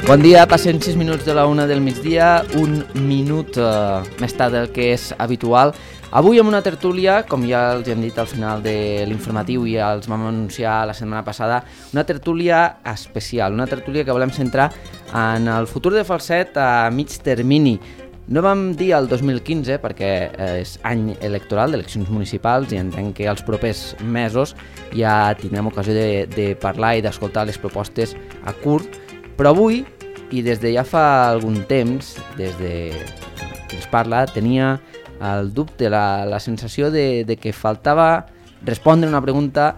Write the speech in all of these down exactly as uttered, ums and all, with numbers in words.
Bon dia, passen sis minuts de la una del migdia, un minut eh, més tard del que és habitual. Avui amb una tertúlia, com ja els hem dit al final de l'informatiu i ja els vam anunciar la setmana passada, una tertúlia especial, una tertúlia que volem centrar en el futur de Falset a mig termini. No vam dir el dos mil quinze perquè és any electoral d'eleccions municipals i entenc que els propers mesos ja tindrem ocasió de, de parlar i d'escoltar les propostes a curt, però avui, i des de ja fa algun temps, des de que es parla, tenia el dubte, la, la sensació de, de que faltava respondre una pregunta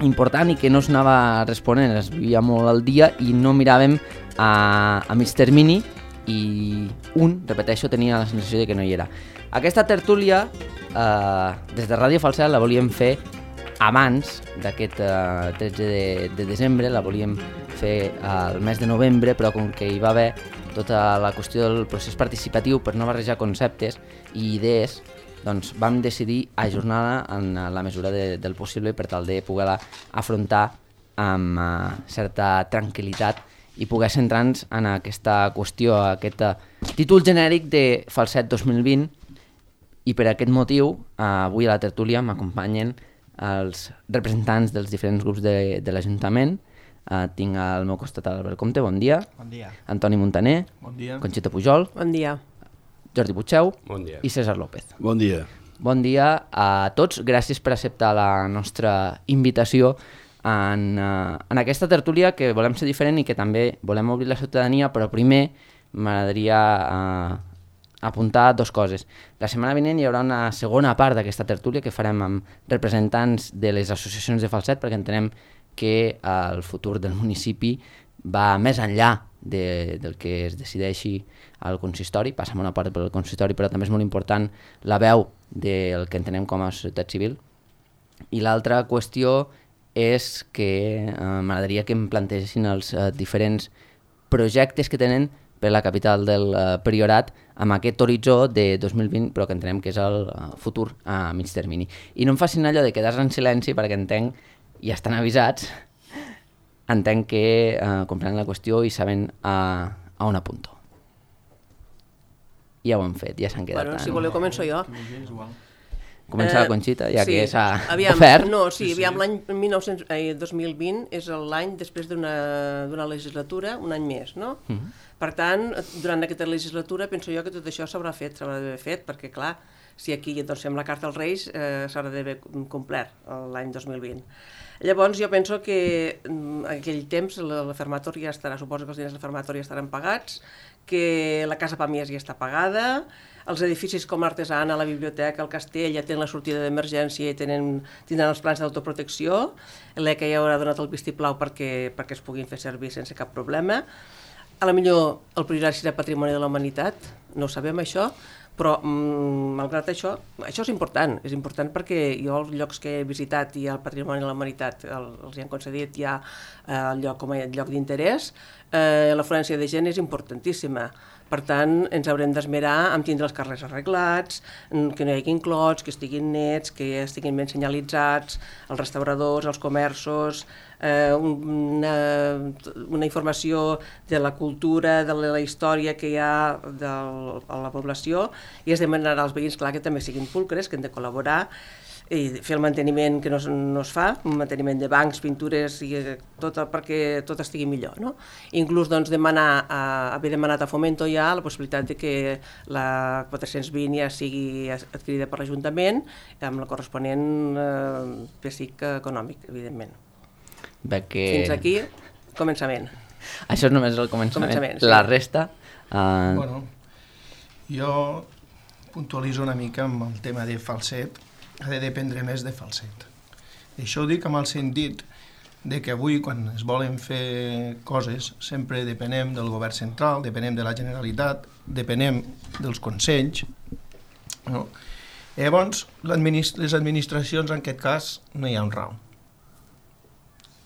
important i que no s'anava responent, es vivia molt al dia i no miràvem a, a mig termini, i un, repeteixo, tenia la sensació de que no hi era. Aquesta tertúlia, eh, des de Ràdio Falset, la volíem fer abans d'aquest eh, tretze de, de desembre, la volíem fer al mes de novembre, però com que hi va haver tota la qüestió del procés participatiu per no barrejar conceptes i idees, doncs vam decidir ajornar-la en la mesura de, del possible per tal de poder-la afrontar amb eh, certa tranquil·litat i poder centrar-nos en aquesta qüestió, aquest uh, títol genèric de Falset dos mil vint, i per aquest motiu uh, avui a la tertúlia m'acompanyen els representants dels diferents grups de, de l'Ajuntament. Uh, tinc al meu costat Albert Comte, bon dia. Bon dia. Antoni Montaner. Bon dia. Conxita Pujol. Bon dia. Jordi Puigceu. Bon dia. I César López. Bon dia. Bon dia a tots, gràcies per acceptar la nostra invitació En, uh, en aquesta tertúlia que volem ser diferent i que també volem obrir la ciutadania, però primer m'agradaria uh, apuntar dues coses. La setmana vinent hi haurà una segona part d'aquesta tertúlia que farem amb representants de les associacions de Falset, perquè entenem que uh, el futur del municipi va més enllà de, del que es decideixi al consistori, passa una part pel consistori, però també és molt important la veu del que entenem com a societat civil. I l'altra qüestió és que eh, m'agradaria que em plantegessin els eh, diferents projectes que tenen per la capital del eh, Priorat amb aquest horitzó de dos mil vint, però que entenem que és el eh, futur a mig termini. I no em facin allò de quedar-se en silenci perquè entenc, ja estan avisats, entenc que eh, comprenen la qüestió i saben a, a on apunto. Ja ho hem fet, ja s'han quedat. Bueno, si voleu començo jo. Comença la Conxita, ja sí, que s'ha aviam, ofert. No, sí, sí. Aviam, l'any dos mil vint és l'any després d'una legislatura, un any més, no? Uh -huh. Per tant, durant aquesta legislatura penso jo que tot això s'haurà fet, s'haurà d'haver fet, perquè clar, si aquí doncs, fem la carta als Reis, eh, s'haurà d'haver complert l'any dos mil vint. Llavors jo penso que en aquell temps la fermatòria estarà, suposo que els diners de la fermatòria estaran pagats, que la Casa Pàmies ja està pagada, els edificis com l'Artesana, la biblioteca, el castell ja tenen la sortida d'emergència i tenen, tindran els plans d'autoprotecció, l'E C A ja haurà donat el vistiplau perquè, perquè es puguin fer servir sense cap problema. A la millor el Priorat serà Patrimoni de la Humanitat, no ho sabem això, però mm, malgrat això, això és important, és important perquè jo els llocs que he visitat i el Patrimoni de la Humanitat el, els hi han concedit ja el lloc com a lloc d'interès, eh, l'afluència de gent és importantíssima. Per tant, ens haurem d'esmerar en tindre els carrers arreglats, que no hi hagi clots, que estiguin nets, que estiguin ben senyalitzats, els restauradors, els comerços, eh, una, una informació de la cultura, de la història que hi ha de la població, i es demanarà als veïns, clar, que també siguin pulcres, que han de col·laborar, i fer el manteniment que no es, no es fa, un manteniment de bancs, pintures, i tot, perquè tot estigui millor. No? Inclús doncs, demanar, a, haver demanat a Fomento ja la possibilitat de que la quatre-cents vint ja sigui adquirida per l'Ajuntament amb el corresponent eh, pessic econòmic, evidentment. Que... Fins aquí, començament. Això és només el començament. començament sí. La resta... Uh... Bueno, jo puntualitzo una mica amb el tema de Falset, ha de dependre més de Falset. Això ho dic amb el sentit de que avui, quan es volen fer coses, sempre depenem del govern central, depenem de la Generalitat, depenem dels consells, no? Llavors, les administracions, en aquest cas, no hi ha un rau.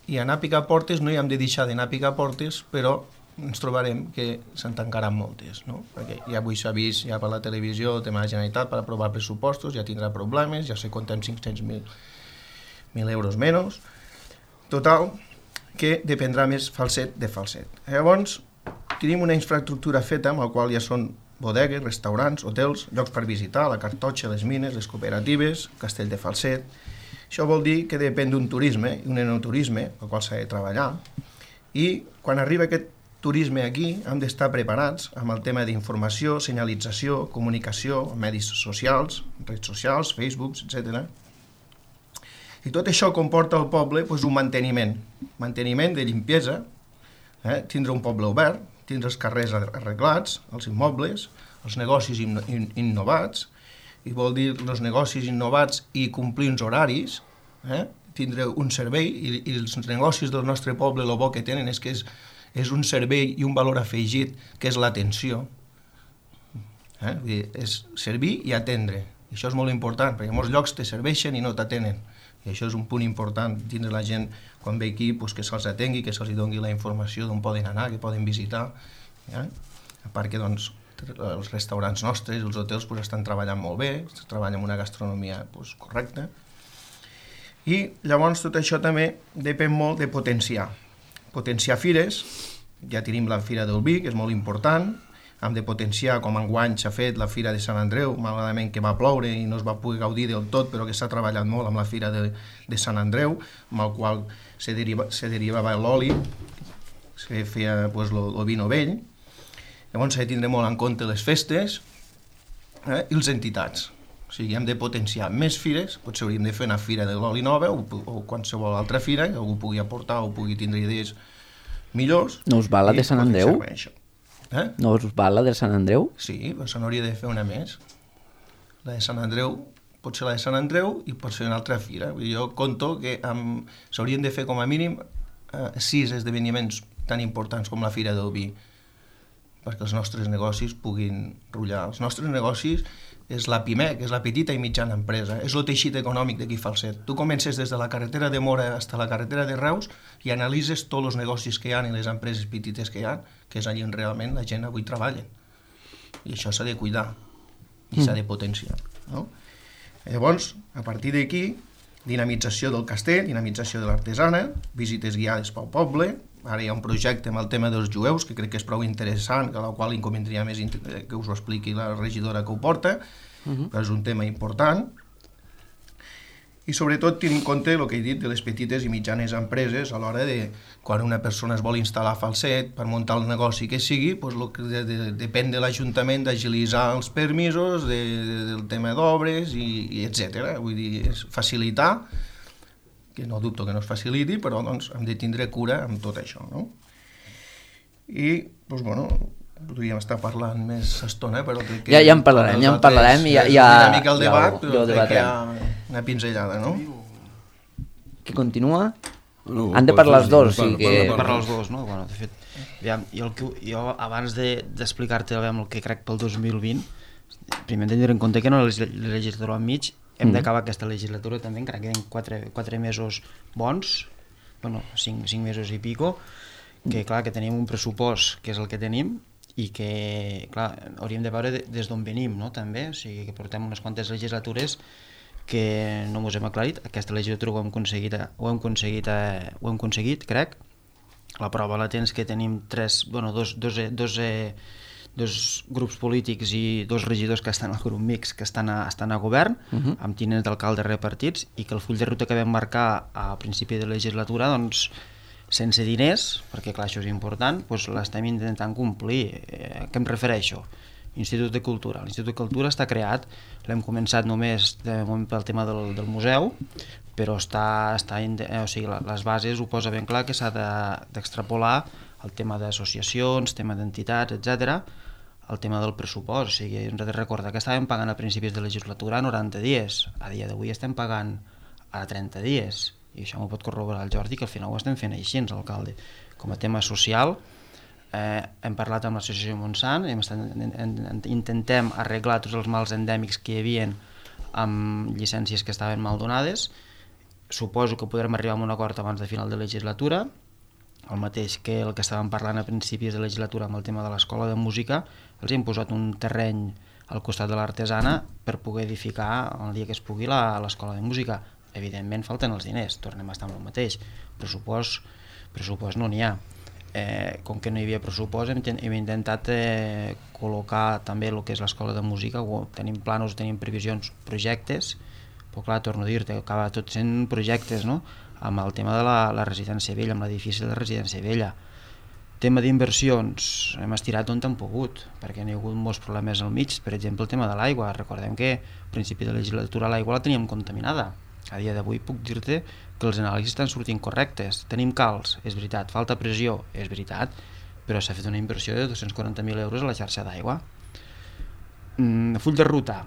I anar a picar portes no hi hem de deixar d'anar a picar portes, però ens trobarem que se'n tancaran moltes, no? Perquè ja avui s'ha vist ja per la televisió el tema de la Generalitat per aprovar pressupostos, ja tindrà problemes, ja se compten cinc-cents mil euros menys. Total, que dependrà més Falset de Falset. Llavors, tenim una infraestructura feta amb la qual ja són bodegues, restaurants, hotels, llocs per visitar, la Cartoixa, les mines, les cooperatives, Castell de Falset. Això vol dir que depèn d'un turisme, un enoturisme, el qual s'ha de treballar, i quan arriba aquest turisme aquí hem d'estar preparats amb el tema d'informació, senyalització, comunicació, medis socials, redes socials, Facebook, etcètera. I tot això comporta al poble doncs, un manteniment, manteniment de limpiesa, eh? tindre un poble obert, tindre els carrers arreglats, els immobles, els negocis inno in innovats, i vol dir els negocis innovats i complir uns horaris, eh? tindre un servei, i, i els negocis del nostre poble el bo que tenen és que és, és un servei i un valor afegit, que és l'atenció. Eh? Vull dir, és servir i atendre. I això és molt important, perquè en molts llocs te serveixen i no t'atenen. I això és un punt important, tindre la gent, quan ve aquí, pues, que se'ls atengui, que se'ls doni la informació d'on poden anar, que poden visitar. Eh? A part que doncs, els restaurants nostres, els hotels, pues, estan treballant molt bé, treballen amb una gastronomia pues, correcta. I llavors tot això també depèn molt de potenciar. Potenciar fires, ja tenim la Fira del Vi, que és molt important, hem de potenciar, com enguany s'ha fet la Fira de Sant Andreu, malauradament que va ploure i no es va poder gaudir del tot, però que s'ha treballat molt amb la Fira de, de Sant Andreu, amb el qual se, deriva, se derivava l'oli, se feia pues, el vino vell. Llavors s'ha de tindre molt en compte les festes eh, i les entitats. O sigui, hem de potenciar més fires, potser hauríem de fer una fira de l'oli nova o, o qualsevol altra fira, que algú pugui aportar o pugui tindre idees millors. No us va la de Sant Andreu? Eh? No us va la de Sant Andreu? Sí, però se n'hauria de fer una més. La de Sant Andreu, potser la de Sant Andreu i potser una altra fira. Jo conto que um, s'haurien de fer com a mínim uh, sis esdeveniments tan importants com la Fira del Vi, perquè els nostres negocis puguin rotllar. Els nostres negocis és la PIME, que és la petita i mitjana empresa, és el teixit econòmic d'aquí Falset. Tu comences des de la carretera de Mora fins a la carretera de Reus i analitzes tots els negocis que hi ha i les empreses petites que hi ha, que és allà on realment la gent avui treballa. I això s'ha de cuidar i s'ha de potenciar. No? Llavors, a partir d'aquí, dinamització del castell, dinamització de l'artesana, visites guiades pel poble. Ara hi ha un projecte amb el tema dels jueus, que crec que és prou interessant, que a la qual inconvindria més que us ho expliqui la regidora que ho porta, uh-huh. però és un tema important. I sobretot tenir en compte el que he dit de les petites i mitjanes empreses a l'hora de, quan una persona es vol instal·lar a Falset per muntar el negoci que sigui, doncs lo que de, de, depèn de l'Ajuntament d'agilitzar els permisos, de, de, del tema d'obres, i, i etcètera. Vull dir, és facilitar, que no dubto que no es faciliti, però doncs, hem de tindre cura amb tot això, no? I, doncs, bueno, podríem estar parlant més estona, però crec que... Ja, ja en parlarem, ja en parlarem, i ja... ja una mica el debat, ja, però crec que hi ha una pinzellada, no? Que continua? No, Han de parlar els dos, o sigui que... Han de parlar els dos, no? Bueno, de fet, aviam, jo, el que, jo abans d'explicar-te de, el que crec pel dos mil vint, primer hem de tenir en compte que no la legislatura enmig, hem d'acabar aquesta legislatura també, encara queden quatre, quatre mesos bons, bueno, cinc, cinc mesos i pico, que clar, que tenim un pressupost que és el que tenim i que, clar, hauríem de veure des d'on venim, no?, també, o sigui, que portem unes quantes legislatures que no ens hem aclarit. Aquesta legislatura ho hem aconseguit, ho hem aconseguit, ho hem aconseguit, crec. La prova la tens que tenim tres, bueno, dos, dos, dos, dos grups polítics i dos regidors que estan al grup mix, que estan a, estan a govern, uh-huh. amb tinents d'alcalde repartits, i que el full de ruta que vam marcar a principi de legislatura, doncs, sense diners, perquè clar, això és important, doncs l'estem intentant complir. Eh, què em refereixo? Institut de Cultura. L'Institut de Cultura està creat, l'hem començat només de moment pel tema del, del museu, però està, està eh, o sigui, les bases ho posa ben clar que s'ha d'extrapolar el tema d'associacions, tema d'entitats, etcètera, el tema del pressupost. O sigui, hem de recordar que estàvem pagant a principis de legislatura noranta dies, a dia d'avui estem pagant a trenta dies, i això m'ho pot corroborar el Jordi, que al final ho estem fent així, alcalde. Com a tema social, eh, hem parlat amb l'associació Montsant, hem estat, en, en, intentem arreglar tots els mals endèmics que hi havia amb llicències que estaven mal donades. Suposo que podrem arribar a un acord abans de final de legislatura, el mateix que el que estàvem parlant a principis de legislatura amb el tema de l'escola de música. Els hem posat un terreny al costat de l'artesana per poder edificar el dia que es pugui l'escola de música. Evidentment falten els diners, tornem a estar amb el mateix, pressupost, pressupost no n'hi ha. eh, com que no hi havia pressupost, hem, hem intentat eh, col·locar també el que és l'escola de música, tenim planos, tenim previsions, projectes, però clar, torno a dir-te, acaba tot sent projectes, no?, amb el tema de la, la residència vella, amb l'edifici de la residència vella. Tema d'inversions, hem estirat on hem pogut, perquè n'hi ha hagut molts problemes al mig, per exemple el tema de l'aigua. Recordem que a principi de legislatura l'aigua la teníem contaminada. A dia d'avui puc dir-te que els anàlisis estan sortint correctes. Tenim calç, és veritat, falta pressió, és veritat, però s'ha fet una inversió de dos-cents quaranta mil euros a la xarxa d'aigua. Mm, full de ruta,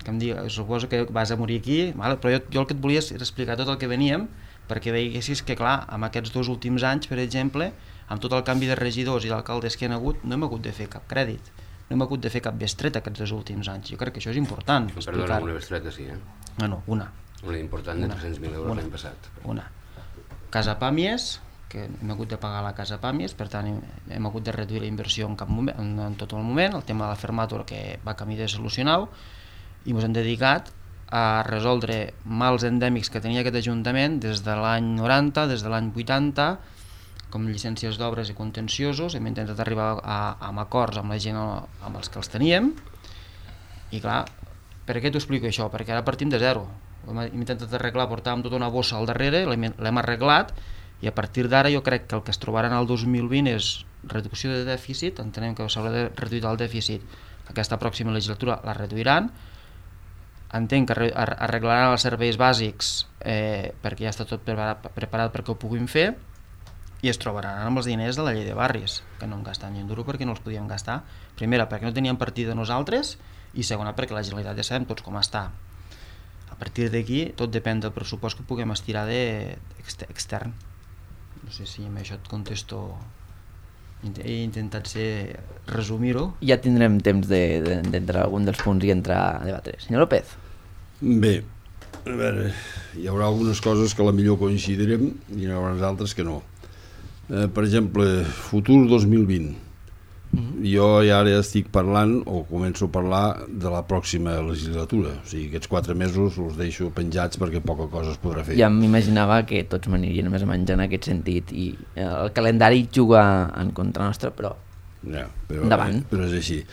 que em digui, suposo que vas a morir aquí, vale? Però jo, jo el que et volia és explicar tot el que veníem, perquè veiessis que clar, amb aquests dos últims anys, per exemple, amb tot el canvi de regidors i d'alcaldes que hi ha hagut, no hem hagut de fer cap crèdit, no hem hagut de fer cap bestreta aquests dos últims anys. Jo crec que això és important. Perdona, una bestreta sí, eh? No, no, una. Una important de tres-cents mil euros l'any passat. Una. Casa Pàmies, que hem hagut de pagar la Casa Pàmies, per tant hem, hem hagut de reduir la inversió en, cap moment, en, en tot el moment, el tema de la fermàtura que va camí de solucionar, i ens hem dedicat a resoldre mals endèmics que tenia aquest Ajuntament des de l'any noranta, des de l'any vuitanta, com llicències d'obres i contenciosos. Hem intentat arribar a, a acords amb la gent amb els que els teníem, i clar, per què t'ho explico això? Perquè ara partim de zero. Hem intentat arreglar, portàvem tota una bossa al darrere, l'hem arreglat, i a partir d'ara jo crec que el que es trobaran el dos mil vint és reducció de dèficit. Entenem que s'haurà de reduir el dèficit, aquesta pròxima legislatura la reduiran. Entenc que arreglaran els serveis bàsics eh, perquè ja està tot preparat, preparat perquè ho puguin fer, i es trobaran amb els diners de la llei de barris, que no en gastem ni un duro perquè no els podíem gastar. Primera, perquè no teníem partida nosaltres, i segona, perquè la Generalitat ja sabem tots com està. A partir d'aquí tot depèn del pressupost que puguem estirar de, extern. No sé si amb això et contesto. He intentat ser, resumir-ho. Ja tindrem temps d'entrar de, de, algun dels punts i entrar a debatre. Senyor López. Bé, a veure, hi haurà algunes coses que a la millor coincidirem i hi haurà altres que no. Eh, per exemple, futur dos mil vint. Mm-hmm. Jo ja ara estic parlant, o començo a parlar, de la pròxima legislatura. O sigui, aquests quatre mesos els deixo penjats perquè poca cosa es podrà fer. Ja m'imaginava que tots m'anirien més o menys en aquest sentit, i el calendari juga en contra nostra, però, ja, però endavant. Eh, però és així.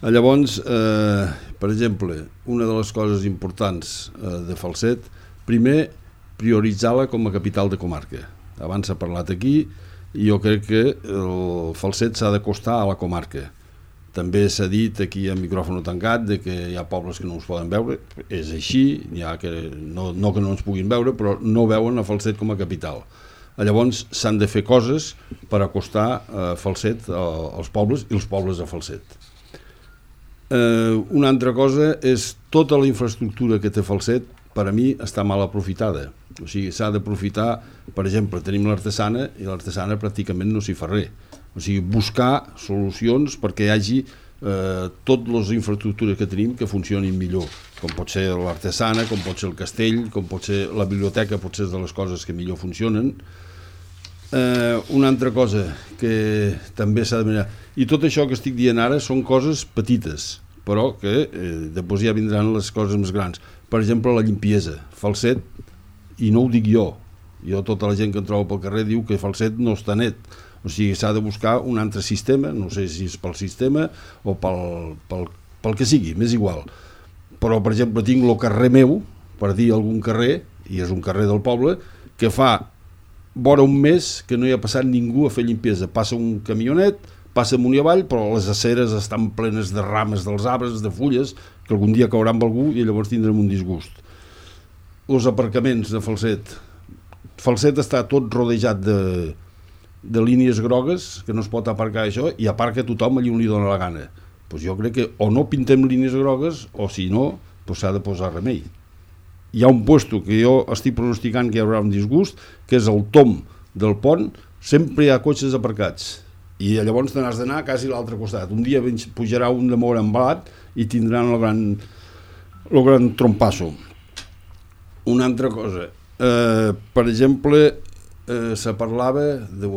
Llavors, eh, per exemple, una de les coses importants eh, de Falset, primer, prioritzar-la com a capital de comarca. Abans s'ha parlat aquí, i jo crec que el Falset s'ha d'acostar a la comarca. També s'ha dit aquí a micròfon tancat de que hi ha pobles que no ens poden veure, és així, hi ha que, no, no que no ens puguin veure, però no veuen a Falset com a capital. Llavors s'han de fer coses per acostar a Falset als pobles i els pobles a Falset. Eh, una altra cosa és tota la infraestructura que té Falset, per a mi està mal aprofitada. O sigui, s'ha d'aprofitar, per exemple, tenim l'artesana i l'artesana pràcticament no s'hi fa res. O sigui, buscar solucions perquè hi hagi eh, totes les infraestructures que tenim que funcionin millor, com pot ser l'artesana, com pot ser el castell, com pot ser la biblioteca, potser és de les coses que millor funcionen. Eh, una altra cosa que també s'ha de mirar, i tot això que estic dient ara són coses petites, però que eh, després ja vindran les coses més grans. Per exemple, la limpiesa. Falset, i no ho dic jo, jo tota la gent que em trobo pel carrer diu que Falset no està net. O sigui, s'ha de buscar un altre sistema, no sé si és pel sistema o pel, pel, pel que sigui, m'és igual. Però, per exemple, tinc el carrer meu, per dir algun carrer, i és un carrer del poble, que fa vora un mes que no hi ha passat ningú a fer limpiesa. Passa un camionet, passa amunt i avall, però les aceres estan plenes de rames dels arbres, de fulles, que algun dia cauran amb algú i llavors tindrem un disgust. Els aparcaments de Falset. Falset està tot rodejat de, de línies grogues, que no es pot aparcar això, i aparca tothom allí on li dóna la gana. Pues jo crec que o no pintem línies grogues, o si no, pues s'ha de posar remei. Hi ha un puesto que jo estic pronosticant que hi haurà un disgust, que és el tom del pont, sempre hi ha cotxes aparcats. I llavors te n'has d'anar quasi a l'altre costat. Un dia pujarà un de mort embalat i tindran el gran, el gran trompasso. Una altra cosa, eh, per exemple, eh, se parlava, de,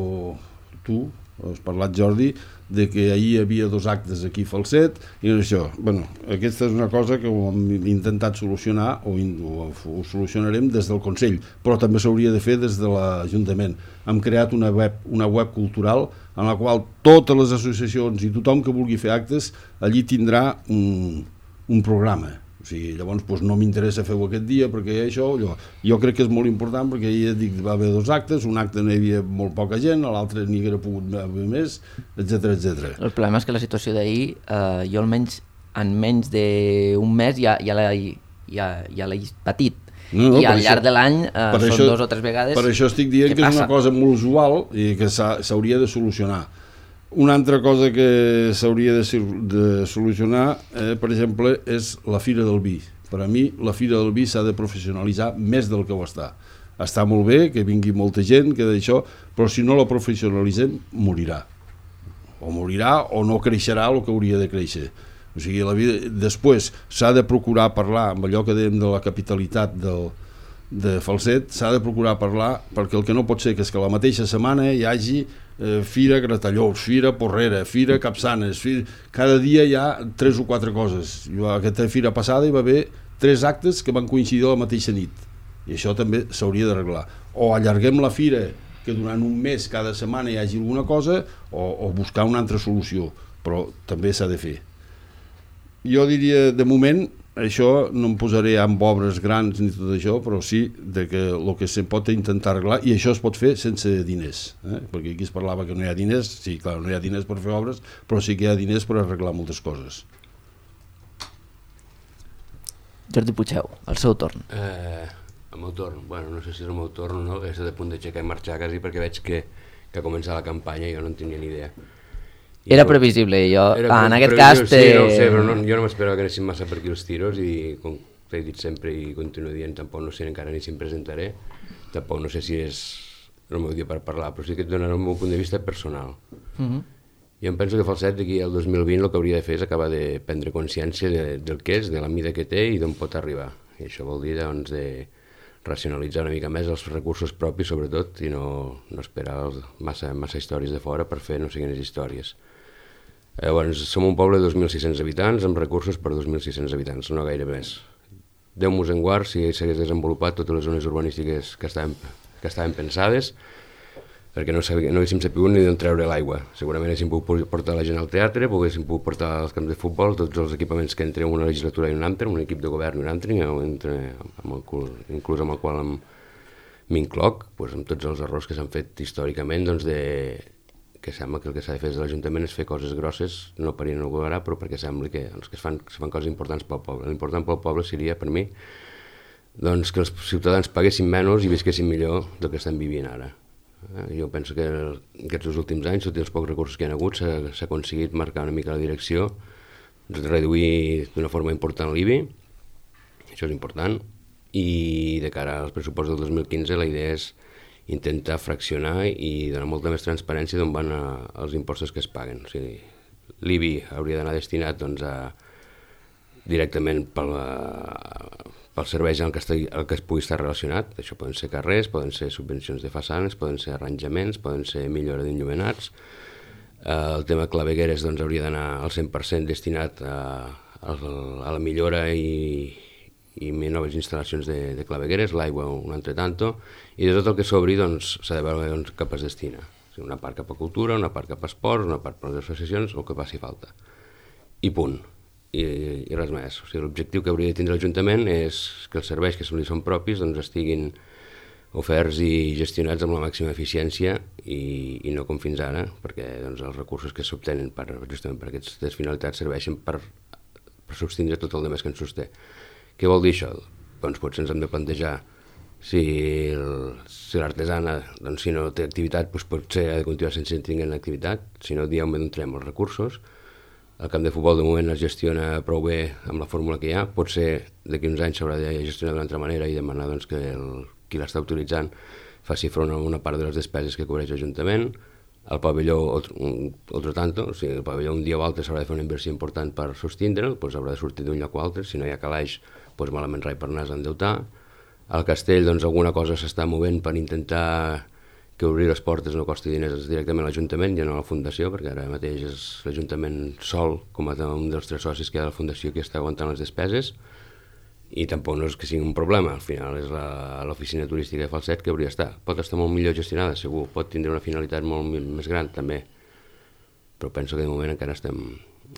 tu, has parlat Jordi, de que ahir hi havia dos actes aquí a Falset i això. Bueno, aquesta és una cosa que ho hem intentat solucionar o, o ho solucionarem des del Consell, però també s'hauria de fer des de l'Ajuntament. Hem creat una web, una web cultural en la qual totes les associacions i tothom que vulgui fer actes allí tindrà un, un programa. O sigui, llavors doncs, no m'interessa fer-ho aquest dia perquè això, allò. Jo crec que és molt important perquè ja dic, va haver dos actes, un acte no hi havia molt poca gent, l'altre n'hi hauria pogut haver més, etcètera, etcètera. El problema és que la situació d'ahir, eh, jo almenys en menys d'un mes ja, ja l'he ja, ja patit. No, no, i al llarg això, de l'any eh, són això, dos o tres vegades. Per això estic dient que passa? És una cosa molt usual i que s'hauria de solucionar. Una altra cosa que s'hauria de, de solucionar, eh, per exemple, és la Fira del Vi. Per a mi, la Fira del Vi s'ha de professionalitzar més del que ho està. Està molt bé que vingui molta gent, que d'això, però si no la professionalitzem, morirà. O morirà o no creixerà el que hauria de créixer. O sigui, la vida... Després s'ha de procurar parlar amb allò que dèiem de la capitalitat del, de Falset, s'ha de procurar parlar, perquè el que no pot ser que és que la mateixa setmana hi hagi eh, Fira Gratallops, Fira Porrera, Fira Capçanes, fira... cada dia hi ha tres o quatre coses. Jo, aquesta fira passada hi va haver tres actes que van coincidir la mateixa nit, i això també s'hauria d'arreglar. O allarguem la fira, que durant un mes cada setmana hi hagi alguna cosa, o, o buscar una altra solució, però també s'ha de fer. Jo diria, de moment, això no em posaré amb obres grans ni tot això, però sí de que el que se pot intentar arreglar, i això es pot fer sense diners, eh? Perquè aquí es parlava que no hi ha diners, sí, clar, no hi ha diners per fer obres, però sí que hi ha diners per arreglar moltes coses. Jordi Puigdeu, el seu torn. Eh, el meu torn, bueno, no sé si és el meu torn o no, que estic a punt d'aixecar i marxar quasi perquè veig que, que ha començat la campanya i jo no en tenia ni idea. I era no, previsible, jo, era ah, en aquest cas... cas... Te... Sí, no ho sé, però no, jo no m'esperava que anessin massa per aquí els tiros i, com he dit sempre i continuo dient, tampoc no sé encara ni si em presentaré, tampoc no sé si és el meu dia per parlar, però sí que et donarà el meu punt de vista personal. Uh-huh. Jo em penso que Falset d'aquí al dos mil vint el que hauria de fer és acabar de prendre consciència de, del que és, de la mida que té i d'on pot arribar. I això vol dir doncs, de racionalitzar una mica més els recursos propis, sobretot, i no, no esperar els, massa, massa històries de fora per fer no sé quines històries. Llavors, som un poble de dos mil sis-cents habitants amb recursos per dos mil sis-cents habitants, no gaire més. Déu-nos en guard si s'hagués desenvolupat totes les zones urbanístiques que estaven, que estaven pensades, perquè no, sabia, no haguéssim sabut ni d'on treure l'aigua. Segurament haguéssim pogut portar la gent al teatre, haguéssim pogut portar als camps de futbol, tots els equipaments que entre una legislatura i un altre, un equip de govern i un altre, entre, amb el, inclús amb el qual m'incloc, doncs, amb tots els errors que s'han fet històricament, doncs de... que sembla que el que s'ha de fer des de l'Ajuntament és fer coses grosses, no per inaugurar, però perquè sembla que els que es fan, es fan coses importants pel poble. L'important pel poble seria, per mi, doncs, que els ciutadans paguessin menys i visquessin millor del que estan vivint ara. Jo penso que aquests últims anys, tots els pocs recursos que hi ha hagut, s'ha aconseguit marcar una mica la direcció, reduir d'una forma important l'I B I, això és important, i de cara als pressupostos del dos mil quinze la idea és intentar fraccionar i donar molta més transparència d'on van a, els impostos que es paguen. O sigui, l'I B I hauria d'anar destinat doncs, a, directament pel, pel servei en el que, estigui, el que es pugui estar relacionat. Això poden ser carrers, poden ser subvencions de façanes, poden ser arranjaments, poden ser millora d'enllumenats. El tema clavegueres doncs, hauria d'anar al cent per cent destinat a, a, a la millora i i noves instal·lacions de, de clavegueres, l'aigua un altre tanto, i de tot el que s'obri doncs, s'ha de veure doncs, cap es destina. O sigui, una part cap a cultura, una part cap a esports, una part per a les associacions, el que faci falta. I punt. I, i res més. O sigui, l'objectiu que hauria de tindre l'Ajuntament és que els serveis que li són propis doncs, estiguin oferts i gestionats amb la màxima eficiència i, i no com fins ara, perquè doncs, els recursos que s'obtenen per, justament per aquestes finalitats serveixen per, per sostindre tot el demés que ens sosté. Què vol dir això? Doncs potser ens hem de plantejar si, el, si l'artesana, doncs, si no té activitat, doncs potser ha de continuar sense tenir activitat, si no, diem on entrem els recursos. El camp de futbol de moment es gestiona prou bé amb la fórmula que hi ha, potser d'aquí uns anys s'haurà de gestionar d'una altra manera i demanar doncs, que el, qui l'està utilitzant faci front a una part de les despeses que cobreix l'Ajuntament. El pavelló, otro tanto, o sigui, el pavelló un dia o altre s'haurà de fer una inversió important per sostindre'l, doncs haurà de sortir d'un lloc o altre, si no hi ha calaix, doncs malament rai per anar a endeutar. Al castell, doncs, alguna cosa s'està movent per intentar que obrir les portes no costi diners directament a l'Ajuntament i no a la Fundació, perquè ara mateix és l'Ajuntament sol, com a un dels tres socis que hi ha de la Fundació, que està aguantant les despeses, i tampoc no és que sigui un problema, al final és l'oficina turística de Falset que hauria d'estar. Pot estar molt millor gestionada, segur, pot tindre una finalitat molt més gran, també, però penso que de moment encara estem,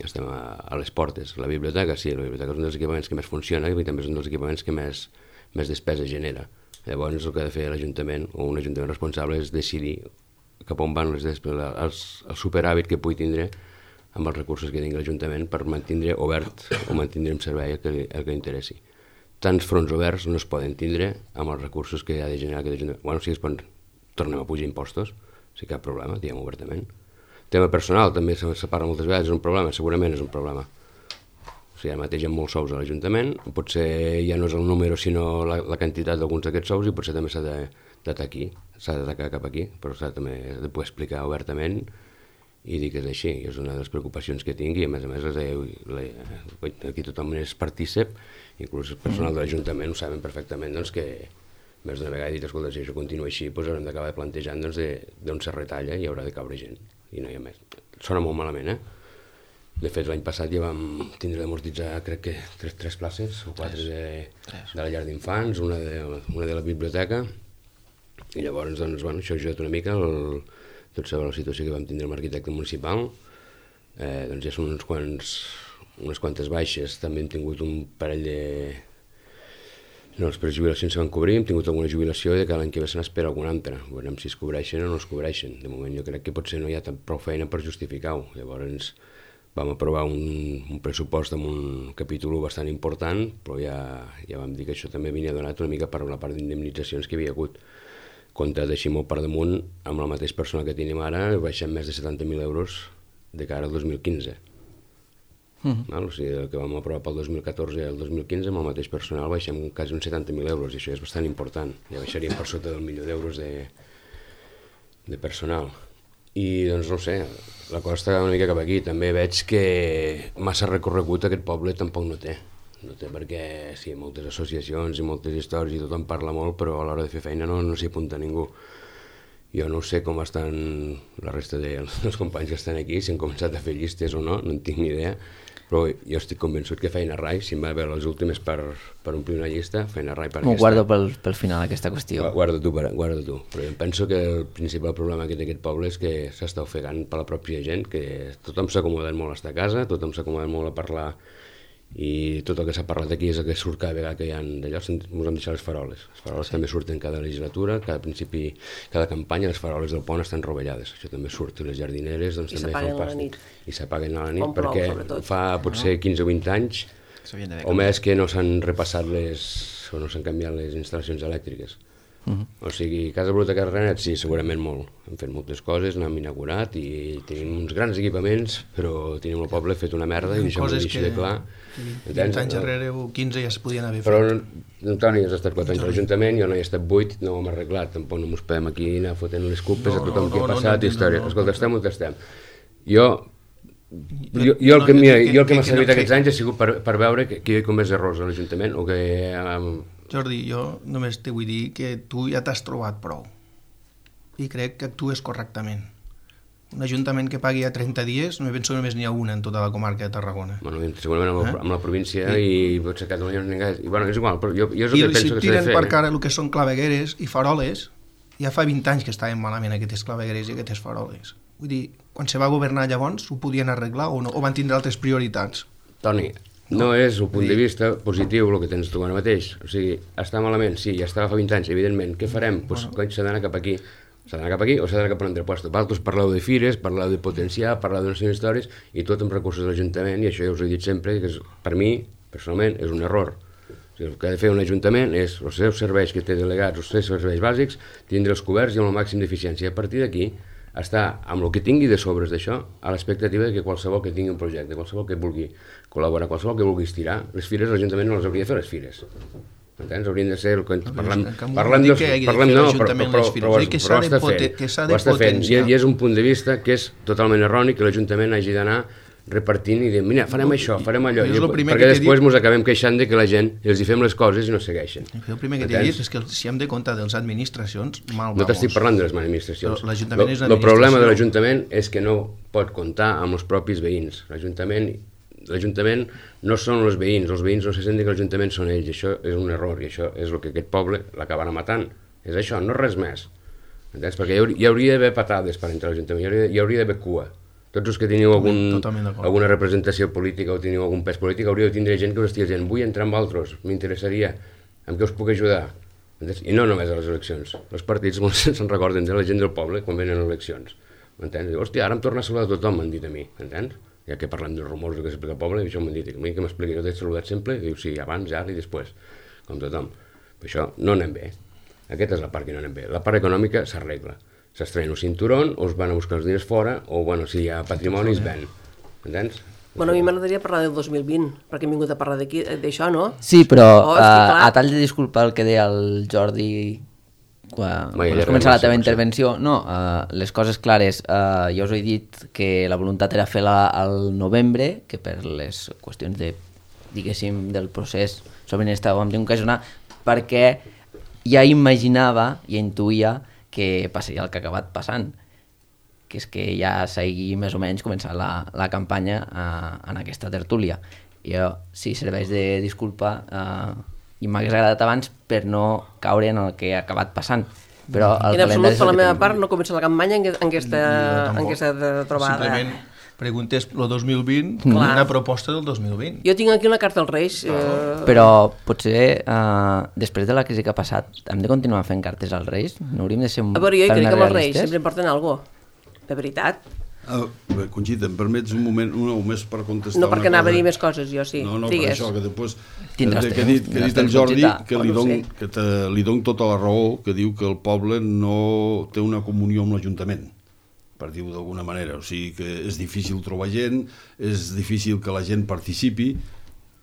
estem a, a les portes. La biblioteca, sí, la biblioteca és un dels equipaments que més funciona i també és un dels equipaments que més, més despesa genera. Llavors el que ha de fer l'Ajuntament o un Ajuntament responsable és decidir cap on van les despeses, els, el superàvit que pugui tindre amb els recursos que tingui l'Ajuntament per mantenir obert o mantenir en servei el que, el que interessi. Tants fronts oberts no es poden tindre amb els recursos que ha de generar aquest Ajuntament. Bueno, si es poden, tornem a pujar impostos, si cap problema, diguem obertament. Tema personal també se, se parla moltes vegades, és un problema, segurament és un problema. O sigui, ara mateix hi ha molts sous a l'Ajuntament, potser ja no és el número sinó la, la quantitat d'alguns d'aquests sous i potser també s'ha d'atacar aquí, s'ha d'atacar cap aquí, però s'ha també de poder explicar obertament i dir que és així, és una de les preocupacions que tinc i a més a més les, les, aquí tothom és partícip, inclús el personal de l'Ajuntament ho saben perfectament doncs, que més d'una vegada he dit, escolta, si això continua així doncs haurem d'acabar plantejant doncs, d'on se retalla i haurà de caure gent i no hi ha més. Sona molt malament, eh? De fet, l'any passat ja vam tindre d'amortitzar, crec que, tres, tres places o quatre de, de la llar d'infants, una, de, una de la biblioteca, i llavors, doncs, bueno, això ha ajudat una mica, el, tot sobre la situació que vam tindre amb l'arquitecte municipal, eh, doncs ja són uns quants, unes quantes baixes, també hem tingut un parell de... No, les prejubilacions se van cobrir, hem tingut alguna jubilació i que l'any que ve se n'espera alguna altra. Veurem si es cobreixen o no es cobreixen. De moment jo crec que potser no hi ha prou feina per justificar-ho. Llavors, vam aprovar un, un pressupost amb un capítol bastant important, però ja, ja vam dir que això també venia donat una mica per la part d'indemnitzacions que hi havia hagut. Comptat així molt per damunt, amb el mateix personal que tenim ara, baixem més de setanta mil euros de cara al dos mil quinze. Mm-hmm. Val? O sigui, el que vam aprovar pel dos mil catorze i el dos mil quinze, amb el mateix personal baixem quasi uns setanta mil euros, i això és bastant important. Ja baixaríem per sota del milió d'euros de, de personal. I doncs no sé, la cosa està una mica cap aquí. També veig que massa recorregut aquest poble tampoc no té. No té perquè sí, moltes associacions i moltes històries i tothom parla molt, però a l'hora de fer feina no, no s'hi apunta ningú. Jo no sé com estan la resta dels companys que estan aquí, si han començat a fer llistes o no, no en tinc ni idea, però jo estic convençut que Feina Rai, si em va veure les últimes per, per omplir una llista, Feina Rai per M'ho aquesta... guardo pel, pel final, aquesta qüestió. Guarda tu, guarda tu. Però jo penso que el principal problema que té aquest poble és que s'està ofegant per la pròpia gent, que tothom s'ha acomodat molt a estar a casa, tothom s'ha acomodat molt a parlar, i tot el que s'ha parlat aquí és el que surt cada vegada que hi ha d'allò, ens hem deixat les faroles. Les faroles sí. També surten cada legislatura, cada principi, cada campanya, les faroles del pont estan rovellades. Això també surt, les jardineres doncs, també fan pàstic. I s'apaguen a la nit, on perquè plou, fa potser quinze o vint anys, o més que no s'han repassat les, o no s'han canviat les instal·lacions elèctriques. Uh-huh. O sigui, Casa Biblioteca Renet, sí, segurament molt. Hem fet moltes coses, n'hem inaugurat i tenim uns grans equipaments, però tenim el poble fet una merda i això m'ho deixo de clar. vint anys darrere o quinze ja es podien haver fet. Però Toni has estat quatre anys a l'Ajuntament, jo no hi he estat vuit, no ho hem arreglat, tampoc no mos podem aquí anar fotent les culpes no, a tothom no, que ha passat, no, no, història. No, no, Escolta, estem on estem. Jo, jo, jo el que m'ha servit aquests anys ha sigut per, per veure que, que hi ha com més errors a l'Ajuntament o que... Um, Jordi, jo només te vull dir que tu ja t'has trobat prou i crec que actues correctament. Un ajuntament que pagui a trenta dies, no penso que només n'hi ha una en tota la comarca de Tarragona. Bueno, segurament amb, eh? amb la província sí. I potser Catalunya no n'hi ha... I bueno, és igual, però jo, jo és el I que penso si que s'ha de fer. I si tiren per cara el que són clavegueres i faroles, ja fa vint anys que estaven malament aquestes clavegueres i aquestes faroles. Vull dir, quan se va governar llavors ho podien arreglar o no? O van tindre altres prioritats? Toni, no és el punt de vista positiu el que tens tu ara mateix. O sigui, està malament, sí, ja estava fa vint anys, evidentment. Què farem? Doncs pues, bueno. S'ha d'anar cap aquí. S'ha d'anar cap aquí o s'ha d'anar cap a un altre lloc. Vosaltres parleu de fires, parleu de potenciar, parleu d'unes històries i tot amb recursos de l'Ajuntament, i això ja us he dit sempre, que és, per mi, personalment, és un error. O sigui, el que ha de fer un Ajuntament és els seus serveis que té delegats, els seus serveis bàsics, tindre'ls coberts i amb el màxim d'eficiència. A partir d'aquí, està amb el que tingui de sobres d'això a l'expectativa de que qualsevol que tingui un projecte, qualsevol que vulgui col·laborar, qualsevol que vulgui estirar, les fires l'Ajuntament no les hauria de fer, les fires. Entens? Haurien de ser el que parlem, parlem, dels, parlem no, però, però, però, però, però ho està fent, ho està fent, i, i és un punt de vista que és totalment erroni que l'Ajuntament hagi d'anar repartint i dient, mira, farem això, farem allò, jo és lo primer perquè que t'he després dit- ens acabem queixant de que la gent els hi fem les coses i no segueixen. Jo el primer que t'he Entens? dit és que si hem de comptar de les administracions, mal No t'estic vamos. parlant de les administracions. Però l'Ajuntament és una El problema de administració. l'Ajuntament és que no pot comptar amb els propis veïns. L'Ajuntament l'Ajuntament no són els veïns, els veïns no se senten que l'Ajuntament són ells, això és un error i això és el que aquest poble l'acabarà matant. És això, no res més. Entens? Perquè hi hauria, hi hauria d'haver patades per entrar a l'Ajuntament, hi hauria, hi hauria d'haver cua. Tots els que teniu algun, Totalment d'acord. alguna representació política o teniu algun pes polític, hauríeu de tindre gent que us estigui dient vull entrar amb altres, m'interessaria, amb què us puc ajudar? Entens? I no només a les eleccions. Els partits molts se'n recorden de la gent del poble quan venen eleccions. M'entens? Diu, hòstia, ara em torna a saludar tothom, m'han dit a mi, m'entens? Ja que parlem dels rumors que s'explica al poble, això m'han dit, a mi que m'expliqui, no t'he saludat sempre? I diu, sí, abans, ara i després, com tothom. Però això no anem bé. Aquesta és la part que no anem bé. La part econòmica s'arregla. S'estrena un cinturón, o es van a buscar els diners fora, o, bueno, si hi ha patrimoni, es ven. Entens? Bueno, a mi m'agradaria parlar del dos mil vint, perquè hem vingut a parlar d'aquí- d'això, no? Sí, però Oh, oh, és que a, clar. a tall de disculpa el que deia el Jordi quan, Vai, quan ja has començat la res, teva potser. intervenció, no, uh, les coses clares, uh, jo us he dit que la voluntat era fer-la al novembre, que per les qüestions de, diguéssim, del procés sobre estàvem d'ocasionar, perquè ja imaginava, ja intuïa que passaria el que ha acabat passant, que és que ja s'hagi més o menys començat la, la campanya uh, en aquesta tertúlia. Jo, sí, serveix de disculpa, uh, i m'hagués agradat abans per no caure en el que ha acabat passant. Però el En absolut, calendari és per el la que meva tenim. part, no comença la campanya en, en, aquesta, Jo en tampoc. aquesta trobada. Simplement preguntés el dos mil vint, Clar. una proposta del dos mil vint. Jo tinc aquí una carta als Reis. Eh, Però potser, uh, després de la crisi que ha passat, hem de continuar fent cartes als Reis? No hauríem de ser un a veure, jo pèl crec més que amb els Reis realistes? sempre em porten alguna cosa. De veritat. Ah, bé, Conxita, em permets un moment, una o més per contestar No una perquè anava a cosa? dir més coses, jo sí. No, no, Digues. per això, que després... Tindràs que, que, ha temps, dit, que ha tindràs dit el temps, Jordi, Conxita. que Oh, li no ho don, sé. que te, li don tota la raó, que diu que el poble no té una comunió amb l'Ajuntament, per dir-ho d'alguna manera. O sigui que és difícil trobar gent, és difícil que la gent participi,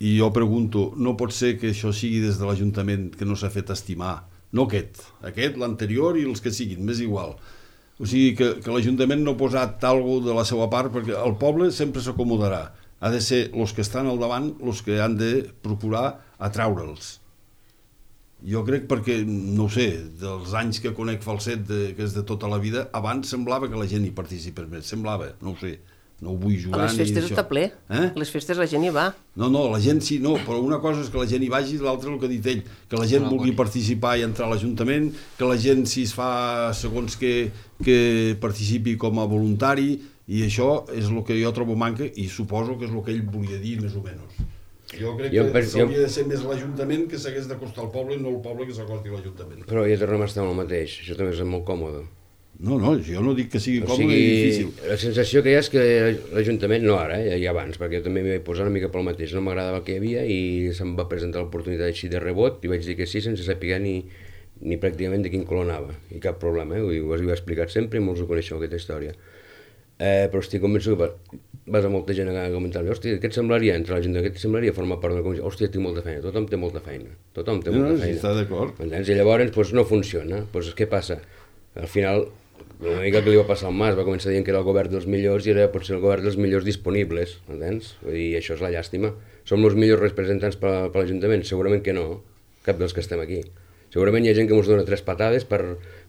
i jo pregunto, no pot ser que això sigui des de l'Ajuntament que no s'ha fet estimar? No aquest, aquest, l'anterior i els que siguin, m'és igual. O sigui que, que l'Ajuntament no ha posat algo de la seva part, perquè el poble sempre s'acomodarà. Ha de ser els que estan al davant els que han de procurar atraure'ls. Jo crec perquè, no ho sé, dels anys que conec Falset, de, que és de tota la vida, abans semblava que la gent hi participés més, semblava, no ho sé, no ho vull A jugar les ni festes això. està ple. Eh? A les festes la gent hi va. No, no, la gent sí, no, però una cosa és que la gent hi vagi i l'altra el que ha dit ell, que la gent vulgui participar i entrar a l'Ajuntament, que la gent si es fa segons que, que participi com a voluntari, i això és el que jo trobo manca i suposo que és el que ell volia dir més o menys. Jo crec Jo que penso- s'hauria de ser més l'Ajuntament que s'hagués d'acostar al poble i no el poble que s'acosti a l'Ajuntament. Però ja tornem a estar amb el mateix, això també és molt còmode. No, no, jo no dic que sigui O còmode sigui, i difícil. la sensació que hi ha és que l'Ajuntament, no ara, eh, ja abans, perquè jo també m'hi vaig posar una mica pel mateix, no m'agradava el que hi havia i se'm va presentar l'oportunitat així de rebot i vaig dir que sí sense saber ni, ni pràcticament de quin color anava, i cap problema, eh? Ho, ho he explicat sempre i molts ho coneixeu, aquesta història. Eh, però estic convençut que va- vas a molta gent a comentar-li, hòstia, què et semblaria entrar a l'Ajuntament, què et semblaria formar part de la comissió? Hòstia, tinc molta feina, tothom té molta feina, tothom té No, molta no, sí, feina. està d'acord. Entens? I llavors doncs, no funciona. Doncs què passa? Al final, una mica que li va passar al Mas, va començar dient que era el govern dels millors i era potser el govern dels millors disponibles, entens? Vull dir, això és la llàstima. Som els millors representants per, per l'Ajuntament? Segurament que no, cap dels que estem aquí. Segurament hi ha gent que ens dona tres patades per,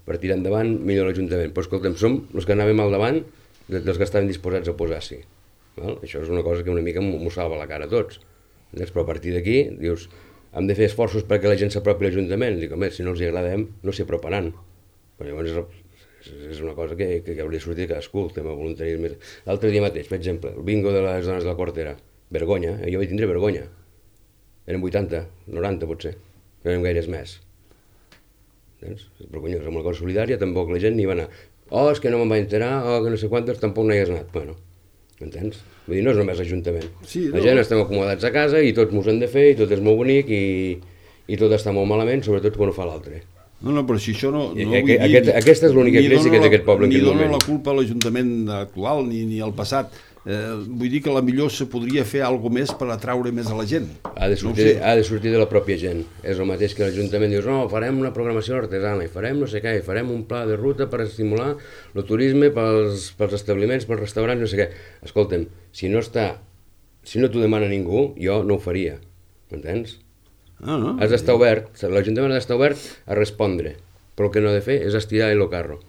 per tirar endavant millor l'Ajuntament. Però escolta'm, som els que anàvem al davant dels que estaven disposats a posar-s'hi. Val? Això és una cosa que una mica m'ho salva la cara a tots. Entens? Però a partir d'aquí, dius, hem de fer esforços perquè la gent s'apropi a l'Ajuntament. Dic, home, si no els hi agradem, no s'hi aproparan. Però llavors és, és una cosa que, que hauria de sortir de cadascú, el tema voluntarisme. L'altre dia mateix, per exemple, el bingo de les dones de la Quartera. Vergonya, eh? Jo vaig tindre vergonya. Eren vuitanta, noranta potser, no eren gaires més. Entens? És vergonyós, amb la cosa solidària tampoc la gent ni va anar. Oh, és que no me'n vaig enterar, oh, que no sé quantes, tampoc no hi has anat. Bueno, entens? Vull dir, no és només l'Ajuntament. Sí, la no. gent estem acomodats a casa i tots mos hem de fer i tot és molt bonic i, i tot està molt malament, sobretot quan ho fa l'altre. No, no, però si això no... I no aquest- vull dir, aquest- aquesta és l'única ni crisi dono que té la- aquest poble en Ni aquest dono moment. la culpa a l'Ajuntament actual ni, ni al passat. Eh, vull dir que la millor se podria fer alguna més per atraure més a la gent. Ha de sortir, no sé. ha de sortir de la pròpia gent. És el mateix que l'Ajuntament dius, no, farem una programació artesana i farem no sé què, i farem un pla de ruta per estimular el turisme pels, pels establiments, pels restaurants, no sé què. Escolta'm, si no està, si no t'ho demana ningú, jo no ho faria, m'entens? Ah, no? Has d'estar obert, l'Ajuntament ha d'estar obert a respondre, però el que no ha de fer és estirar el carro,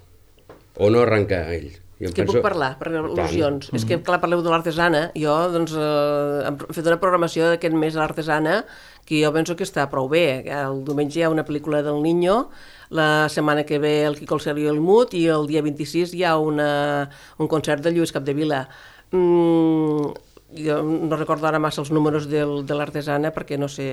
o no arrencar a ell. És que penso... puc parlar, per al·lusions. Mm-hmm. És que, clar, parleu de l'artesana. Jo, doncs, eh, hem fet una programació d'aquest mes a l'artesana que jo penso que està prou bé. El diumenge hi ha una pel·lícula del Niño, la setmana que ve el Quico, el Sergi i el Mut, i el dia vint-i-sis hi ha una, un concert de Lluís Capdevila. Mm, jo no recordo ara massa els números del, de l'artesana perquè, no sé,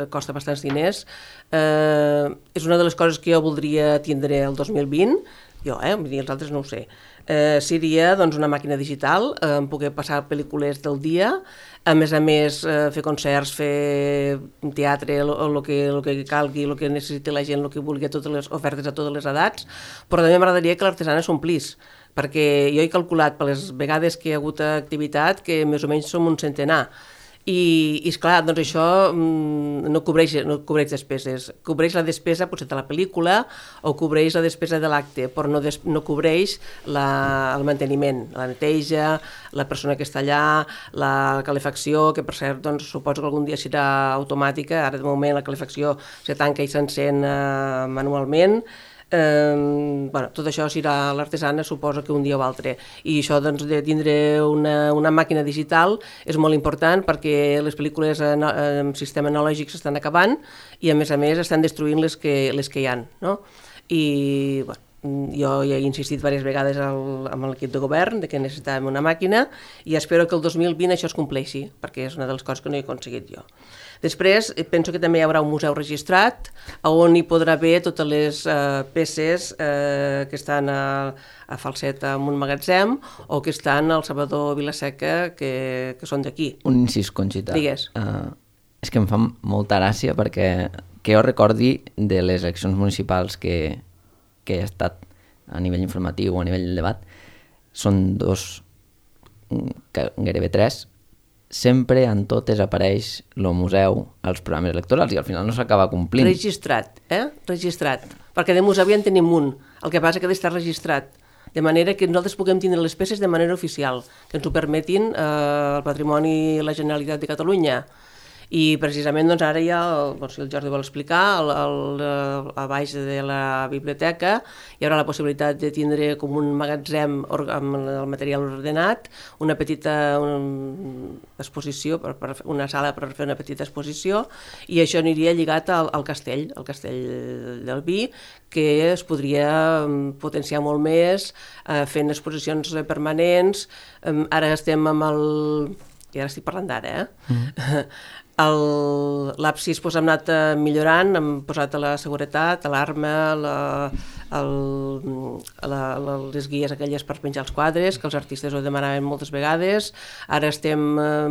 costa bastants diners. Eh, és una de les coses que jo voldria tindre el dos mil vint, jo, eh, els altres no ho sé. Eh, seria doncs, una màquina digital, eh, poder passar pel·lícules del dia, a més a més eh, fer concerts, fer teatre, el que, lo que calgui, el que necessiti la gent, el que vulgui, totes les ofertes a totes les edats, però també m'agradaria que l'artesana s'omplís, perquè jo he calculat per les vegades que hi ha hagut activitat que més o menys som un centenar. I, i esclar, doncs això mm, no, cobreix, no cobreix despeses. Cobreix la despesa potser de la pel·lícula o cobreix la despesa de l'acte, però no, des, no cobreix la, el manteniment, la neteja, la persona que està allà, la calefacció, que per cert doncs, suposo que algun dia serà automàtica, ara de moment la calefacció se tanca i s'encén eh, manualment. Eh, bueno, tot això serà l'artesana, suposo que un dia o altre, i això doncs, de tindre una, una màquina digital és molt important perquè les pel·lícules en, en sistema analògic s'estan acabant i a més a més estan destruint les que, les que hi ha, no? I bueno, jo ja he insistit diverses vegades al, amb l'equip de govern de que necessitàvem una màquina i espero que el dos mil vint això es compleixi, perquè és una de les coses que no he aconseguit jo. Després, penso que també hi haurà un museu registrat on hi podrà haver totes les eh, peces eh, que estan a, a Falset en un magatzem o que estan al Salvador Vilaseca, que, que són d'aquí. Un incís, Conxita. Digues. Uh, és que em fa molta gràcia perquè que jo recordi de les eleccions municipals que, que he estat a nivell informatiu o a nivell del debat, són dos, gairebé tres, sempre en totes apareix el museu als programes electorals i al final no s'acaba complint. Registrat, eh? Registrat. Perquè de museu ja en tenim un. El que passa que ha d'estar registrat. De manera que nosaltres puguem tindre les peces de manera oficial, que ens ho permetin eh, el patrimoni i la Generalitat de Catalunya. I precisament doncs, ara ja, el, si el Jordi vol explicar, el, el, a baix de la biblioteca hi haurà la possibilitat de tindre com un magatzem amb el material ordenat, una petita una exposició, per, per, una sala per fer una petita exposició, i això aniria lligat al, al castell, al castell del vi, que es podria potenciar molt més eh, fent exposicions permanents. Eh, ara estem amb el... i ara estic parlant d'ara, eh? Mm. L'absis pues, hem anat millorant, hem posat la seguretat, l'alarma, la, el, la, la, les guies aquelles per penjar els quadres, que els artistes ho demanaven moltes vegades. Ara estem eh,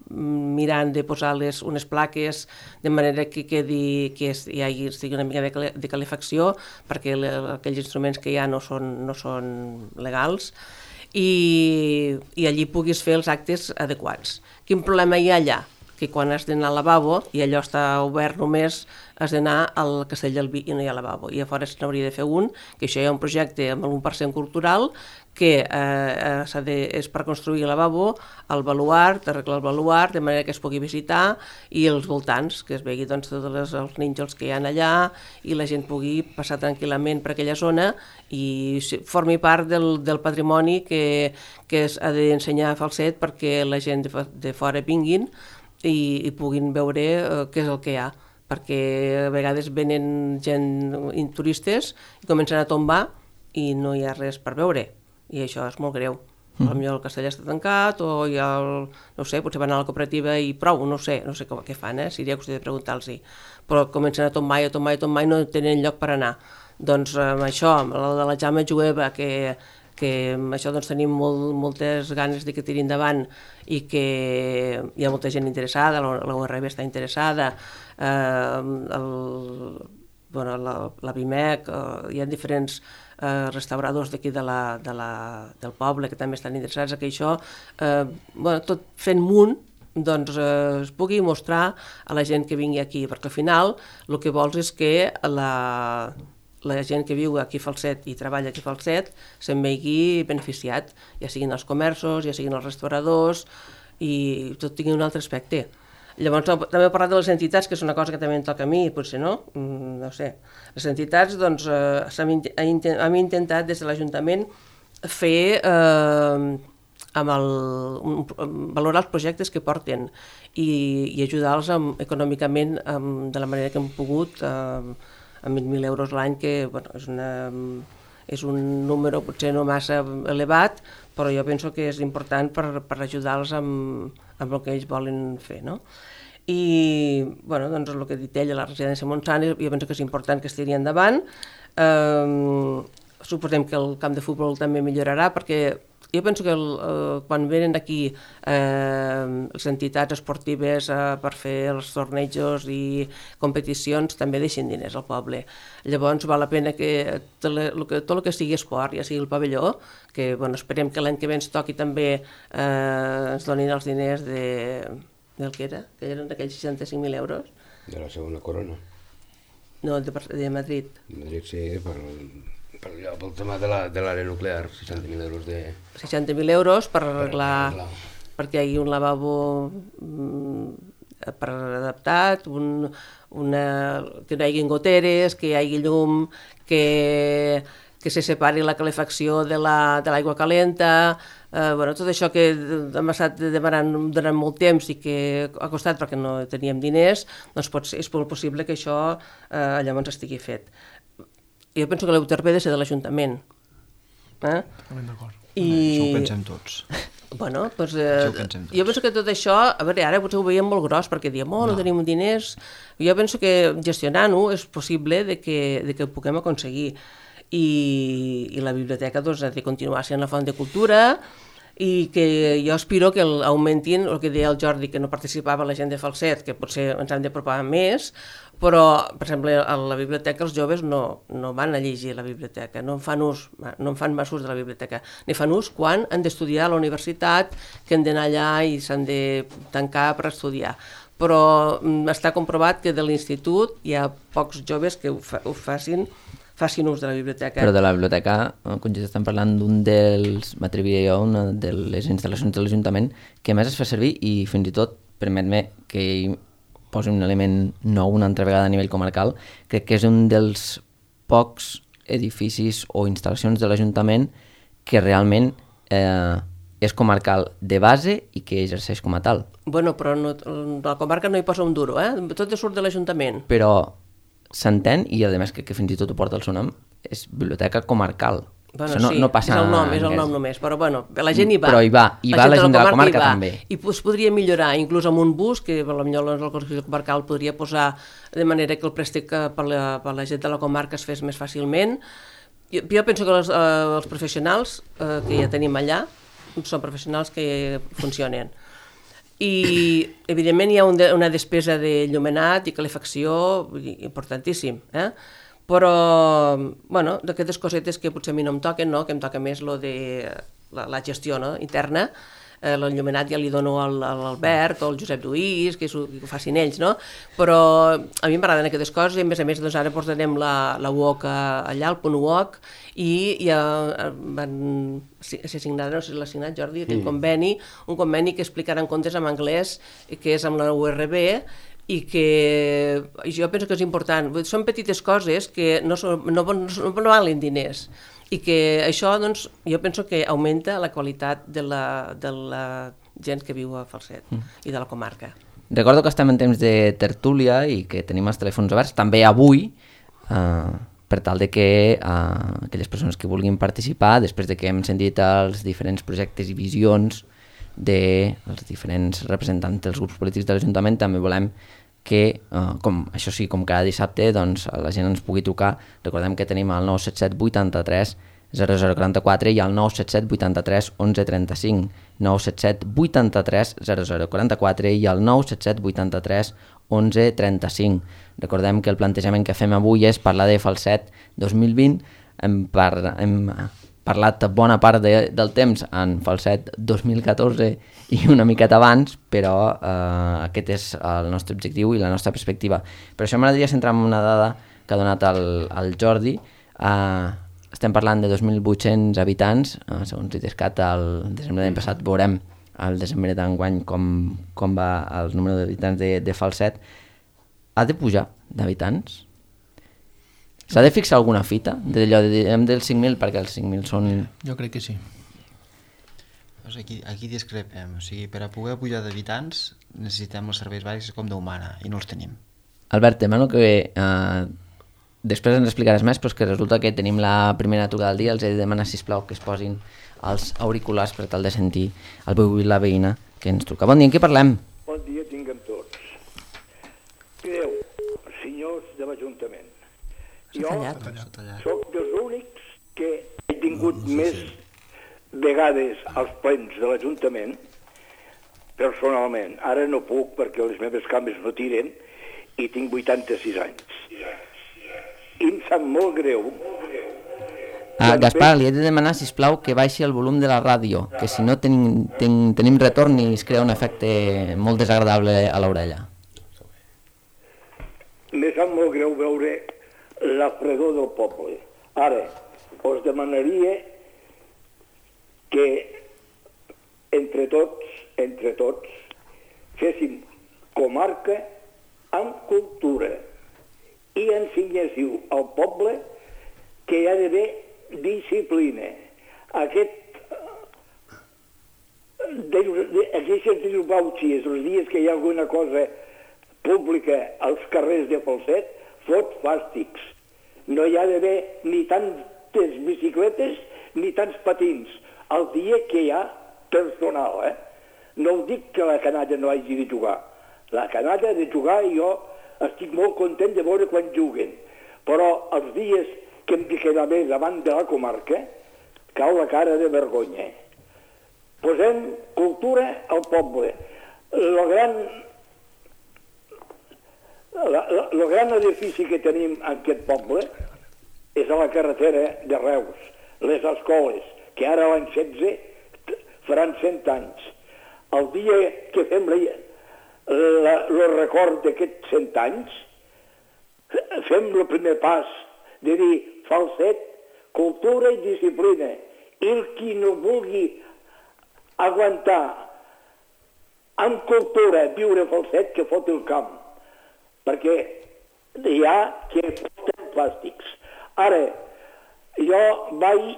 mirant de posar les, unes plaques de manera que, quedi, que hi hagi una mica de, de calefacció, perquè le, aquells instruments que hi ha no són, no són legals, i, i allí puguis fer els actes adequats. Quin problema hi ha allà? Que quan has d'anar al lavabo, i allò està obert només, has d'anar al Castell del Vi i no hi ha lavabo. I a fora se n'hauria de fer un, que això hi ha un projecte amb l'u per cent cultural, que eh, s'ha de, és per construir el lavabo, el baluart, arreglar el baluart, de manera que es pugui visitar, i els voltants, que es vegi doncs, tots els, els nínxols que hi ha allà, i la gent pugui passar tranquil·lament per aquella zona i formi part del, del patrimoni que, que s'ha d'ensenyar a Falset perquè la gent de, de fora vinguin i, i puguin veure eh, què és el que hi ha, perquè a vegades venen gent, turistes, i comencen a tombar i no hi ha res per veure, i això és molt greu. Mm. Potser el castell està tancat, o hi ha el, no sé, potser van a la cooperativa i prou, no sé, no sé com, què fan, eh? Seria qüestió de preguntar-los, però comencen a tombar i a tombar i a tombar i no tenen lloc per anar. Doncs amb això, amb la de la Jaume Jueva, que que amb això doncs, tenim molt, moltes ganes de que tiri endavant i que hi ha molta gent interessada, la U R B està interessada, eh, el, bueno, la, la Bimec, eh, hi ha diferents eh, restauradors d'aquí de la, de la, del poble que també estan interessats a que això, eh, bueno, tot fent munt, doncs eh, es pugui mostrar a la gent que vingui aquí, perquè al final el que vols és que la, la gent que viu aquí a Falset i treballa aquí a Falset se'n vegi beneficiat, ja siguin els comerços, ja siguin els restauradors, i tot tingui un altre aspecte. Llavors, també he parlat de les entitats, que és una cosa que també em toca a mi, potser no, no sé. Les entitats, doncs, eh, hem intentat des de l'Ajuntament fer, eh, amb el, un, valorar els projectes que porten i, i ajudar-los econòmicament amb, de la manera que hem pogut, eh, amb vint mil euros l'any, que bueno, és, una, és un número potser no massa elevat, però jo penso que és important per, per ajudar-los amb, amb el que ells volen fer, no? I, bueno, doncs el que ha dit ella, la residència Montsant, jo penso que és important que es tiri endavant. Eh, suposem que el camp de futbol també millorarà, perquè jo penso que el, eh, quan venen aquí eh, les entitats esportives eh, per fer els tornejos i competicions també deixen diners al poble. Llavors val la pena que tot el que, tot el que sigui esport, ja sigui el pavelló, que bueno, esperem que l'any que ve ens toqui també eh, ens donin els diners de, del que era, que eren d'aquells seixanta-cinc mil euros. De la segona corona. No, de, de Madrid. Madrid sí, per, per allò, pel tema de l'àrea la, nuclear, seixanta mil euros de... seixanta mil euros per arreglar, per arreglar. Perquè hi hagi un lavabo mm, per adaptat, un, una, que no hi hagi goteres, que hi hagi llum, que, que se separi la calefacció de l'aigua la, calenta, eh, bueno, tot això que hem estat demanant durant molt temps i que ha costat perquè no teníem diners, doncs pot ser, és molt possible que això eh, llavors estigui fet. Jo penso que l'U T R P ha de ser de l'Ajuntament. Eh? D'acord. I... Això ho pensem tots. Bueno, doncs, eh, pensem jo penso que tot això, a veure, ara potser ho veiem molt gros perquè diem, oh, no, no tenim diners. Jo penso que gestionant-ho és possible de que, de que ho puguem aconseguir. I, i la biblioteca doncs, ha de continuar sent la font de cultura i que jo aspiro que el, augmentin el que deia el Jordi, que no participava la gent de Falset, que potser ens hem d'apropar més, però, per exemple, a la biblioteca els joves no, no van a llegir a la biblioteca, no en fan ús, no en fan massa ús de la biblioteca, ni fan ús quan han d'estudiar a la universitat, que han d'anar allà i s'han de tancar per estudiar. Però està comprovat que de l'institut hi ha pocs joves que ho, fa, ho facin facin ús de la biblioteca. Però de la biblioteca, quan ja estem parlant d'un dels, m'atreviria jo, una de les instal·lacions de l'Ajuntament que més es fa servir i fins i tot, permet-me que hi posi un element nou una altra vegada a nivell comarcal, crec que és un dels pocs edificis o instal·lacions de l'Ajuntament que realment eh, és comarcal de base i que exerceix com a tal. Bueno, però no, la comarca no hi posa un duro, eh? Tot surt de l'Ajuntament. Però s'entén, i a més que, que fins i tot ho porta el seu nom, és biblioteca comarcal. Bueno, no, sí, no passa és el nom, és el nom només, però bueno, la gent hi va. Però hi va, hi va la gent de la comarca també. I es podria millorar, inclús amb un bus, que potser el Consell Comarcal podria posar de manera que el préstec per la, per la gent de la comarca es fes més fàcilment. Jo, jo penso que els, eh, els professionals eh, que ja tenim allà són professionals que funcionen. I, evidentment, hi ha un de, una despesa de llumenat i calefacció importantíssim, eh? Però, bueno, d'aquestes cosetes que potser a mi no em toquen, no? Que em toca més lo de la, la gestió, no? Interna. Eh, l'enllumenat ja li dono a l'Albert o al Josep Lluís, que, ho, que ho facin ells, no? Però a mi m'agraden aquestes coses i a més a més doncs ara portarem la, la U O C allà, el punt U O C, i ja van ser signat, no sé si l'ha signat Jordi, aquell mm. conveni, un conveni que explicaran contes en anglès, que és amb la U R B, i que jo penso que és important. Són petites coses que no, són, no, no, no valen diners, i que això, doncs, jo penso que augmenta la qualitat de la, de la gent que viu a Falset mm. i de la comarca. Recordo que estem en temps de tertúlia i que tenim els telèfons oberts, també avui, eh, per tal de que eh, aquelles persones que vulguin participar, després de que hem sentit els diferents projectes i visions dels diferents representants dels grups polítics de l'Ajuntament, també volem que, eh, com, això sí, com cada dissabte, doncs, la gent ens pugui trucar. Recordem que tenim el nou set set vuitanta-tres zero zero quaranta-quatre i el nou set set vuitanta-tres onze trenta-cinc, nou set set vuitanta-tres zero zero quaranta-quatre i el nou set set vuitanta-tres onze trenta-cinc. Recordem que el plantejament que fem avui és parlar de Falset dos mil vint. Hem, par hem parlat bona part de, del temps en Falset dos mil catorze i una miqueta abans, però eh, aquest és el nostre objectiu i la nostra perspectiva. Per això m'agradaria centrar en una dada que ha donat el, el Jordi. Eh, estem parlant de dos mil vuit-cents habitants, eh, segons l'Idescat, el desembre de l'any passat veurem al desembre d'enguany com, com va el número d'habitants de, de Falset. Ha de pujar d'habitants? S'ha de fixar alguna fita? D'allò de, de, dels cinc mil, perquè els cinc mil són... Jo crec que sí. Doncs aquí, aquí discrepem. O sigui, per a poder pujar d'habitants necessitem els serveis bàsics com d'humana i no els tenim. Albert, demano que eh, després ens explicaràs més, però és que resulta que tenim la primera trucada del dia. Els he de demanar, sisplau, que es posin els auriculars per tal de sentir el veu i la veïna que ens truca. Bon dia, en què parlem? Bon dia tinguem tots. Creu, senyors de l'Ajuntament, jo sóc dels únics que he tingut més vegades als plens de l'Ajuntament personalment. Ara no puc perquè les meves cames no tiren i tinc vuitanta-sis anys. I em sap molt greu. Ah, Gaspar, li he de demanar, sisplau, que baixi el volum de la ràdio, que si no tenim, ten, tenim retorn i es crea un efecte molt desagradable a l'orella. Me sap molt greu veure la fredor del poble. Ara, us demanaria que entre tots, entre tots, féssim comarca amb cultura i ensenyéssiu al poble que hi ha d'haver disciplina. Aquest aquestes disbauxies, els dies que hi ha alguna cosa pública als carrers de Falset, fot fàstics. No hi ha d'haver ni tantes bicicletes ni tants patins. El dia que hi ha personal, eh? No us dic que la canalla no hagi de jugar. La canalla ha de jugar i jo estic molt content de veure quan juguen. Però els dies que hem de quedar bé davant de la comarca, cau la cara de vergonya. Posem cultura al poble. El gran, la, la, el gran edifici que tenim en aquest poble és a la carretera de Reus, les escoles, que ara l'any setze faran cent anys. El dia que fem el record d'aquests cent anys, fem el primer pas de dir Falset, cultura i disciplina. I el qui no vulgui aguantar amb cultura viure a Falset, que fot el camp. Perquè hi ha que foten plàstics. Ara, jo vaig,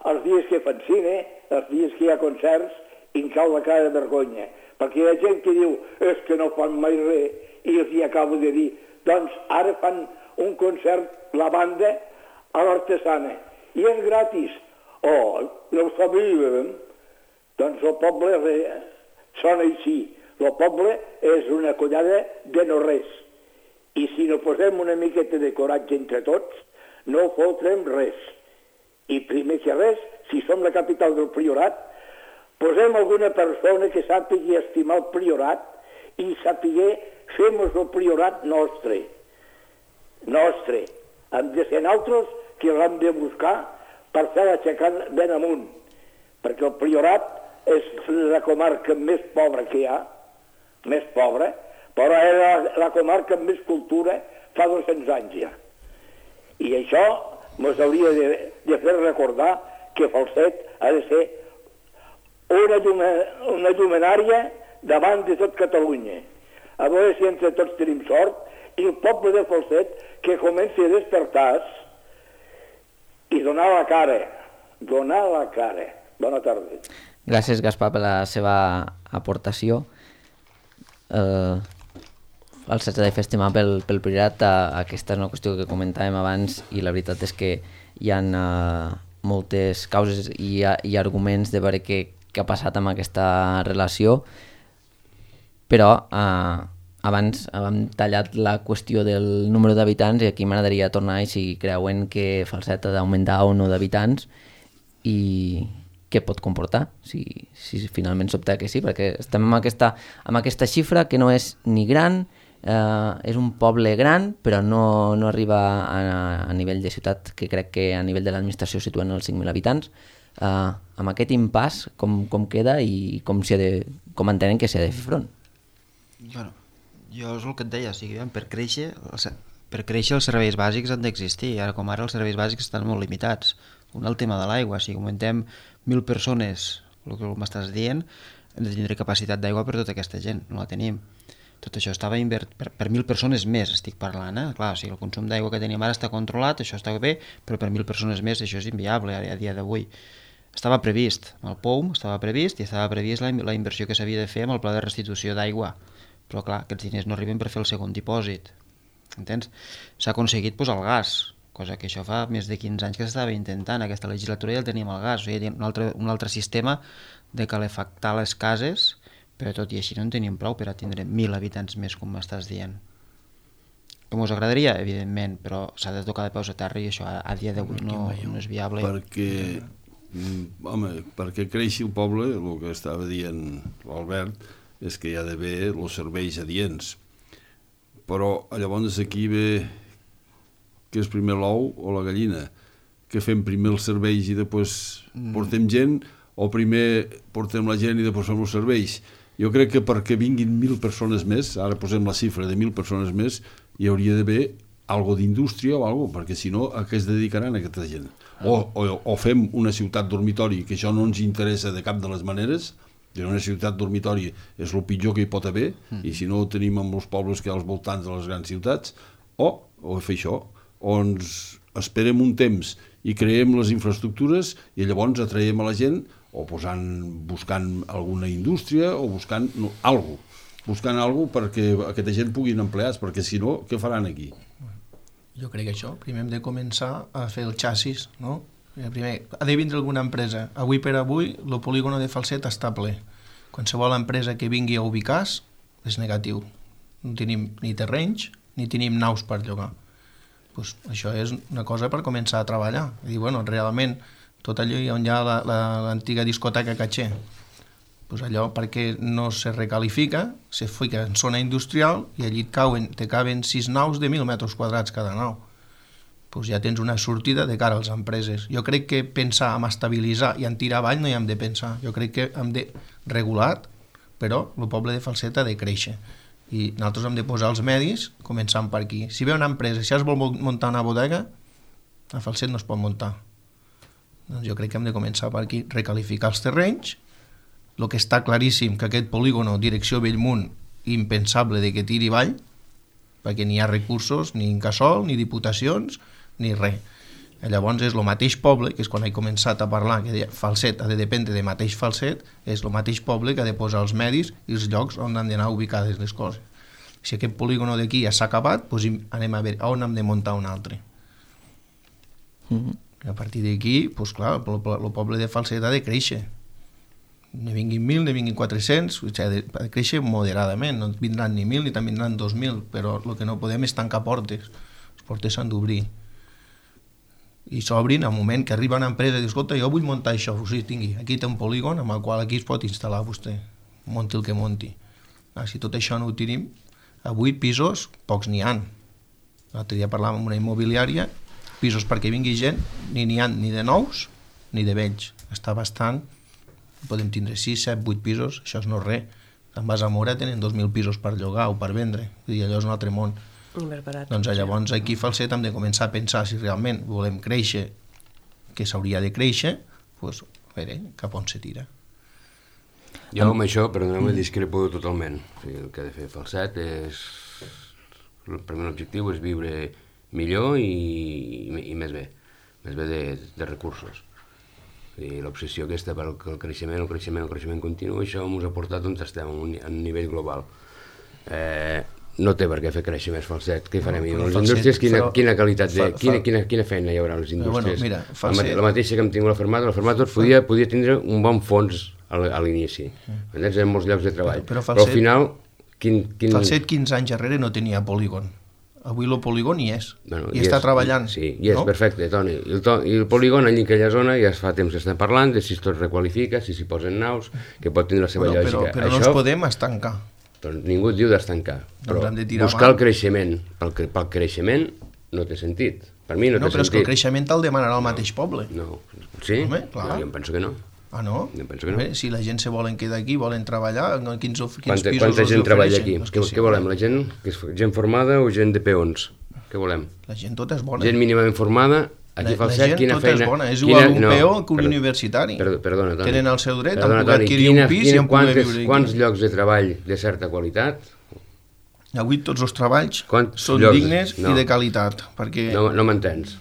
els dies que fan cine, els dies que hi ha concerts, i em cau la cara de vergonya. Perquè hi ha gent que diu, és que no fan mai res, i els hi acabo de dir, doncs ara fan un concert, la banda, a l'Artesana, i és gratis. Oh, no ho sabíem. Doncs el poble sona així. El poble és una collada de no res. I si no posem una miqueta de coratge entre tots, no fotrem res. I primer que res, si som la capital del Priorat, posem alguna persona que sàpigui estimar el Priorat i sàpigui fer-nos el Priorat nostre. Nostre. Hem de ser nosaltres que l'hem de buscar per fer l'aixecant ben amunt. Perquè el Priorat és la comarca més pobra que hi ha, més pobra, però era la comarca amb més cultura fa dos-cents anys ja. I això ens hauria de, de fer recordar que Falset ha de ser una, llume, una llumenària davant de tot Catalunya. A veure si entre tots tenim sort i el poble de Falset que comenci a despertar-se i donar la cara. Donar la cara. Bona tarda. Gràcies, Gaspar, per la seva aportació. Eh, el setze de festival pel, pel Priorat, eh, aquesta és una qüestió que comentàvem abans i la veritat és que hi ha eh, moltes causes i, i arguments de veure què, què ha passat amb aquesta relació, però eh, abans hem tallat la qüestió del número d'habitants i aquí m'agradaria tornar i si creuen que Falset ha d'augmentar o no d'habitants i, què pot comportar si, si finalment s'opta que sí, perquè estem amb aquesta, amb aquesta xifra que no és ni gran, eh, és un poble gran, però no, no arriba a, a nivell de ciutat, que crec que a nivell de l'administració situen els cinc mil habitants. Eh, amb aquest impàs, com, com queda i com, ha de, com entenen que s'ha de fer front? Bueno, jo és el que et deia, o sigui, per créixer, per créixer els serveis bàsics han d'existir, ara com ara els serveis bàsics estan molt limitats. Un el tema de l'aigua, si augmentem mil persones, el que m'estàs dient, hem de tindre capacitat d'aigua per tota aquesta gent, no la tenim. Tot això estava invert per, per mil persones més, estic parlant, eh? Clar, o sigui, el consum d'aigua que tenim ara està controlat, això està bé, però per mil persones més això és inviable a, a dia d'avui. Estava previst, amb el P O U M estava previst i estava previst la, la inversió que s'havia de fer amb el pla de restitució d'aigua, però clar, aquests diners no arriben per fer el segon dipòsit. Entens? S'ha aconseguit posar el gas, cosa que això fa més de quinze anys que s'estava intentant. Aquesta legislatura ja el teníem el gas, o sigui, un altre, un altre sistema de calefactar les cases, però tot i així no en teníem prou per a tindre mil habitants més, com m'estàs dient. Com us agradaria? Evidentment, però s'ha de tocar de peus a terra i això a, a dia d'avui no, no és viable. Perquè, home, perquè creixi el poble, el que estava dient l'Albert, és que hi ha d'haver els serveis adients. Però llavors aquí ve que és primer l'ou o la gallina, que fem primer els serveis i després mm. portem gent, o primer portem la gent i després fem els serveis. Jo crec que perquè vinguin mil persones més, ara posem la xifra de mil persones més, hi hauria d'haver algo d'indústria o algo, perquè si no, a què es dedicaran aquesta gent? O, o, o fem una ciutat dormitori, que això no ens interessa de cap de les maneres, que una ciutat dormitori és el pitjor que hi pot haver, mm. i si no ho tenim amb els pobles que hi ha als voltants de les grans ciutats, o, o fer això, o ens esperem un temps i creem les infraestructures i llavors atraiem a la gent o posant, buscant alguna indústria o buscant no, algo, buscant algo perquè aquesta gent puguin empleats, perquè si no, què faran aquí? Jo crec que això, primer hem de començar a fer el xassis, no? Primer, ha de vindre alguna empresa. Avui per avui, el polígon de Falset està ple. Qualsevol empresa que vingui a ubicar-se és negatiu. No tenim ni terrenys, ni tenim naus per llogar. Pues això és una cosa per començar a treballar. I dir, bueno, realment, tot allò on hi ha l'antiga la, discoteca Caché, pues allò perquè no se recalifica, se fica en zona industrial i allí et cauen, te caben sis naus de mil metres quadrats cada nau. Pues ja tens una sortida de cara a les empreses. Jo crec que pensar en estabilitzar i en tirar avall no hi hem de pensar. Jo crec que hem de regular, però el poble de Falset ha de créixer. I nosaltres hem de posar els medis, començant per aquí. Si ve una empresa, si es vol muntar una bodega, a Falset no es pot muntar. Doncs jo crec que hem de començar per aquí, recalificar els terrenys. El que està claríssim que aquest polígono, direcció Bellmunt, impensable de que tiri avall, perquè ni hi ha recursos, ni Incasòl, ni diputacions, ni res. Llavors és el mateix poble, que és quan he començat a parlar, que Falset ha de dependre de mateix Falset, és el mateix poble que ha de posar els medis i els llocs on han d'anar ubicades les coses. Si aquest polígono d'aquí ja s'ha acabat, doncs anem a veure on hem de muntar un altre. Mm-hmm. A partir d'aquí, doncs clar, el, el poble de Falset ha de créixer. Ne vinguin mil, ne vinguin quatre-cents, o sigui, ha de, ha de créixer moderadament, no vindran ni mil ni també vindran dos mil, però el que no podem és tancar portes. Les portes s'han d'obrir. I s'obrin al moment que arriba una empresa i diu, escolta, jo vull muntar això, o sigui, tingui, aquí té un polígon amb el qual aquí es pot instal·lar vostè, munti el que munti. Ah, si tot això no ho tenim, a vuit pisos, pocs n'hi ha. L'altre dia parlàvem amb una immobiliària, pisos perquè vingui gent, ni n'hi ha ni de nous ni de vells. Està bastant, podem tindre sis, set, vuit pisos, això és no res. Te'n vas a Mora, tenen dos mil pisos per llogar o per vendre, i allò és un altre món. Doncs llavors aquí a Falset hem de començar a pensar si realment volem créixer, que s'hauria de créixer, doncs a veure cap on se tira. Jo amb això, perdoneu-me, discrepo totalment. O sigui, el que ha de fer Falset és... El primer objectiu és viure millor i, i, i més bé, més bé de, de recursos. I l'obsessió aquesta per el creixement, el creixement, el creixement continu, això ens ha portat on estem, a un, a un nivell global. Eh, no té per què fer créixer més Falset. Què farem? No, les indústries, quina, però, quina qualitat, de, fa, quina, quina, quina feina hi haurà a les indústries? Bueno, mira, la, la mateixa que hem tingut la Fermata, la Fermata podia, podia tindre un bon fons a l'inici. Entens? En molts llocs de treball. Però, però, Falset, però al final... Quin, quin... Falset quinze anys darrere no tenia polígon. avui el polígon hi és, Bueno, i està és, treballant. Sí, i és no? perfecte, Toni. I el, to, I el polígon, allà en aquella zona, ja es fa temps que estem parlant de si es tot requalifica, si s'hi posen naus, que pot tenir la seva Però, però, lògica. però no Això, ens podem estancar. doncs, ningú et diu d'estancar, però hem de tirar buscar avant. el creixement. Pel, cre- pel creixement no té sentit. Per mi no, No, té però és que el sentit. creixement te'l demanarà el mateix poble. No, sí? Home, clar. No, jo em penso que no. Ah, no? Jo penso que no. Bé, si la gent se volen quedar aquí, volen treballar, no, quins, quins Quanta, pisos quanta els gent treballa ofereixen? aquí? Doncs Què, que sí, què volem? La gent, que és gent formada o gent de peons? Què volem? La gent tota és bona. Gent mínimament formada, aquí la, fa el la set, gent quina tota feina... és bona, és quina- igual un no, peó que un perdó, universitari. Perdó, perdona, Toni. Tenen el seu dret Perdona, a poder Toni, adquirir quina, un pis quina, i a poder quantes, viure aquí. quants llocs de treball de certa qualitat? Avui tots els treballs Quants són llocs? dignes No. i de qualitat, perquè No, no m'entens.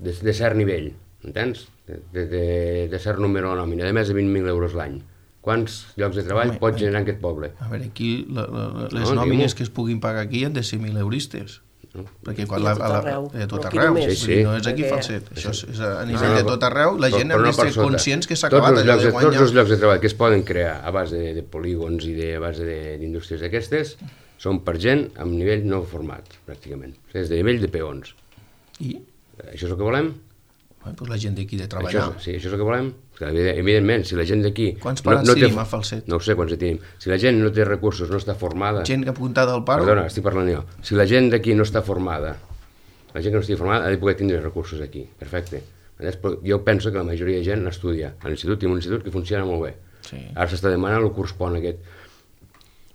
De, de cert nivell, entens? De, de, de, de cert número de nòmina, de més de vint mil euros l'any. Quants llocs de treball Home, pot generar en aquest poble? a veure, aquí la, la, les No, nòmines diu-m'ho. que es puguin pagar aquí han de ser mil euristes. No. Perquè quan I a la, tot a la, arreu. a tot No, aquí arreu, només. Sí, vull dir, sí. no és aquí Perquè- falset, això és, és a No, nivell de no, tot arreu, la però- gent però ha no de per ser sota. conscients que s'ha Tots acabat els allò llocs de de- Tots guanyar. els llocs de treball que es poden crear a base de, de polígons i de, a base de- d'indústries d'aquestes són per gent amb nivell no format, pràcticament. És de nivell de peons. I Això és el que volem? bueno, doncs la gent d'aquí de Això, treballar. és- sí, això és el que volem? Que, evidentment, si la gent d'aquí... Quants parats tenim a Falset? No ho sé quants en tenim. Si la gent no té recursos, no està formada... Gent que apuntada al paro, Perdona, estic parlant jo. Si la gent d'aquí no està formada, la gent que no estigui formada ha de poder tindre recursos aquí. Perfecte. Entens? Però jo penso que la majoria de gent estudia a l'institut, tenim un institut que funciona molt bé. Sí. Ara s'està demanant el curs pont aquest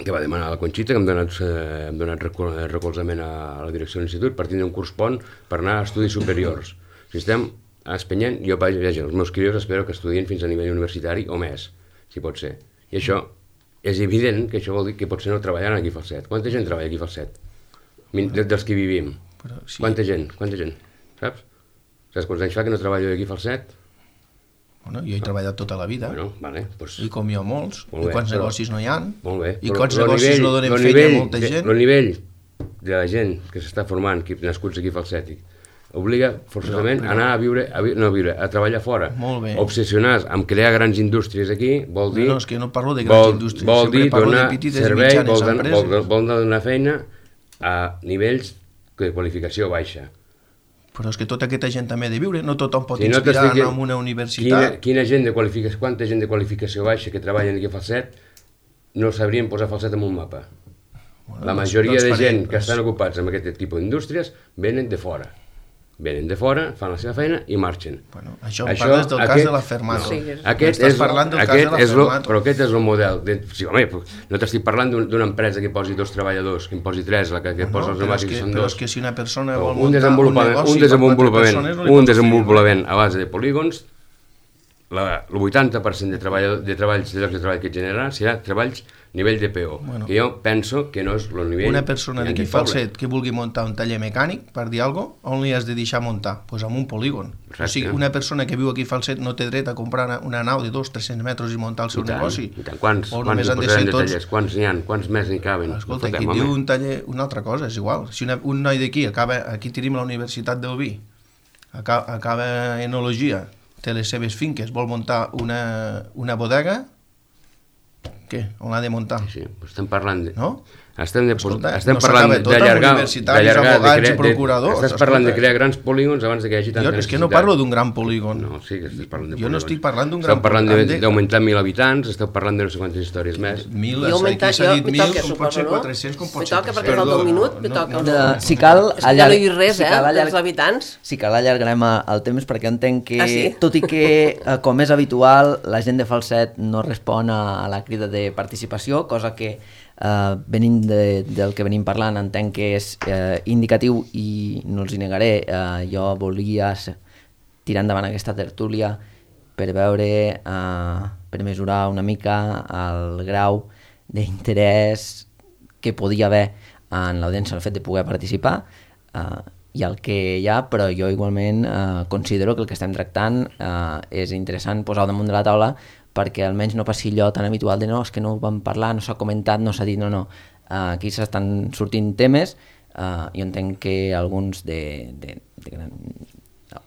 que va demanar la Conxita, que hem donat, eh, hem donat recol recolzament a la direcció de l'institut per tindre un curs pont per anar a estudis superiors. Si estem espenyent, jo vaig, vaja, els meus crios espero que estudien fins a nivell universitari o més, si pot ser. I això és evident que això vol dir que potser no treballaran aquí a Falset. Quanta gent treballa aquí a Falset? Min- de- Dels que vivim. però sí, Quanta gent? Quanta gent? Saps? Saps quants anys fa que no treballo aquí a Falset? bueno, jo he treballat tota la vida, Bueno, vale, doncs... i com jo molts, Molt i bé, quants però- negocis no hi ha, Molt bé. i però quants lo negocis nivell- no donen lo feina nivell a molta de- gent. El nivell de la gent que s'està formant, aquí, nascuts aquí a Falset, obliga forçosament Però- a anar a viure, a, vi no a viure, a treballar fora. Molt bé. Obsessionats amb crear grans indústries aquí, vol dir... No, és que no parlo de grans vol, indústries, vol sempre dir parlo de donar petites i servei, mitjanes vol, donar- empreses. vol, vol donar feina a nivells de qualificació baixa. Però és que tota aquesta gent també ha de viure, no tothom pot Si no inspirar t'estic a anar dient a una Quina, universitat. quina gent de qualificació, quanta gent de qualificació baixa que treballen aquí a Falset no sabrien posar Falset en un mapa. Bueno, La doncs- majoria doncs de faré, gent que doncs. estan ocupats amb aquest tipus d'indústries venen de fora. Venen de fora, fan la seva feina i marxen. Bueno, això em parles del cas de la Fermata. No, Sí, és- aquest Estàs és, parlant del cas aquest de la és lo, Fermata. però aquest és el model. De, sí, home, però no t'estic parlant d'un- d'una empresa que posi dos treballadors, que en posi tres, la que, que No, posa els però, és pneumàtics que, són però dos. és que si una persona Però vol un muntar un desenvolupament, negoci un per quatre desenvolupament, persones, no li un pots desenvolupament a base de polígons, la, el vuitanta per cent de, treball, de treballs, de llocs de treball que generarà serà treballs nivell de P O, Bueno. que jo penso que no és el nivell... Una persona que hi ha d'aquí en aquest Falset que vulgui muntar un taller mecànic, per dir alguna cosa, on li has de deixar muntar? Doncs pues en un polígon. Exacte. O sigui, una persona que viu aquí a Falset no té dret a comprar una, una nau de dos a tres cents metres i muntar el seu I tant, negoci. i tant. Quants, O quants només hi han de posarem ser de tots... tallers? Quants n'hi ha? Quants més n'hi caben? Escolta, No aquí fotem, diu home. un taller, una altra cosa, és igual. Si una, un noi d'aquí acaba, aquí tenim la Universitat del Vi, acaba, acaba enologia, té les seves finques, vol muntar una, una bodega, què? On l'ha de muntar? Sí, doncs estem parlant de... No? Estem, de, Escolta, estem no parlant s'acaba tot amb d'allargar... universitaris, d'allargar, de advocats i crear- de- procuradors, Estàs parlant de escolta. crear grans polígons abans de que hi hagi tanta Jo, és que no necessitat. parlo d'un gran polígon. No, sí que estàs parlant de Jo no polígons. estic parlant d'un gran Esteu parlant polígon. de- d'augmentar mil habitants, esteu parlant de no sé quantes històries més. Mil, I augmentar, aquí s'ha jo, dit me mil, toca, com pot suposo, ser no? quatre-cents, com pot Me ser toca, perquè tres-cents. falta un Perdó, minut, me no, toca. no, De, no, si cal, És que ja no allarg- he dit res, si eh, cal dels allarg- habitants. Si cal allargarem eh, el temps perquè entenc que, Ah, sí? tot i que, eh, com és habitual, la gent de Falset no respon a la crida de participació, cosa que, eh, venint de, del que venim parlant, entenc que és eh, indicatiu i no els hi negaré. Eh, jo volia s- tirar endavant aquesta tertúlia per veure, eh, per mesurar una mica el grau d'interès que podia haver en l'audiència el fet de poder participar, eh, i el que hi ha, però jo igualment eh, considero que el que estem tractant eh, és interessant posar-ho damunt de la taula perquè almenys no passi allò tan habitual de no, és que no ho vam parlar, no s'ha comentat, no s'ha dit, no, no. Uh, aquí s'estan sortint temes, uh, jo entenc que alguns de, de, de gran,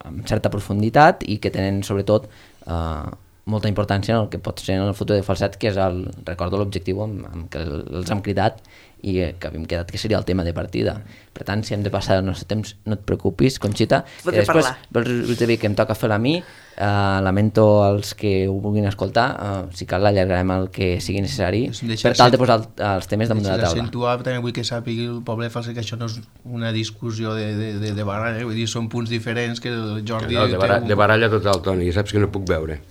amb certa profunditat i que tenen sobretot uh, molta importància en el que pot ser en el futur de Falset, que és el, recordo l'objectiu amb, amb què els hem cridat i eh, que havíem quedat que seria el tema de partida. Per tant, si hem de passar el nostre temps, no et preocupis, Conxita. Podré després, parlar. us he dit que em toca fer-la a mi, uh, lamento els que ho vulguin escoltar, uh, si cal l'allargarem el que sigui necessari, per tal de posar el, els temes damunt de la taula. D'accentuar, també vull que sàpigui el poble falset que això no és una discussió de, de, de, de baralla, vull dir, són punts diferents que el Jordi... No, de, baralla, un... de baralla total, Toni, ja saps que no puc veure.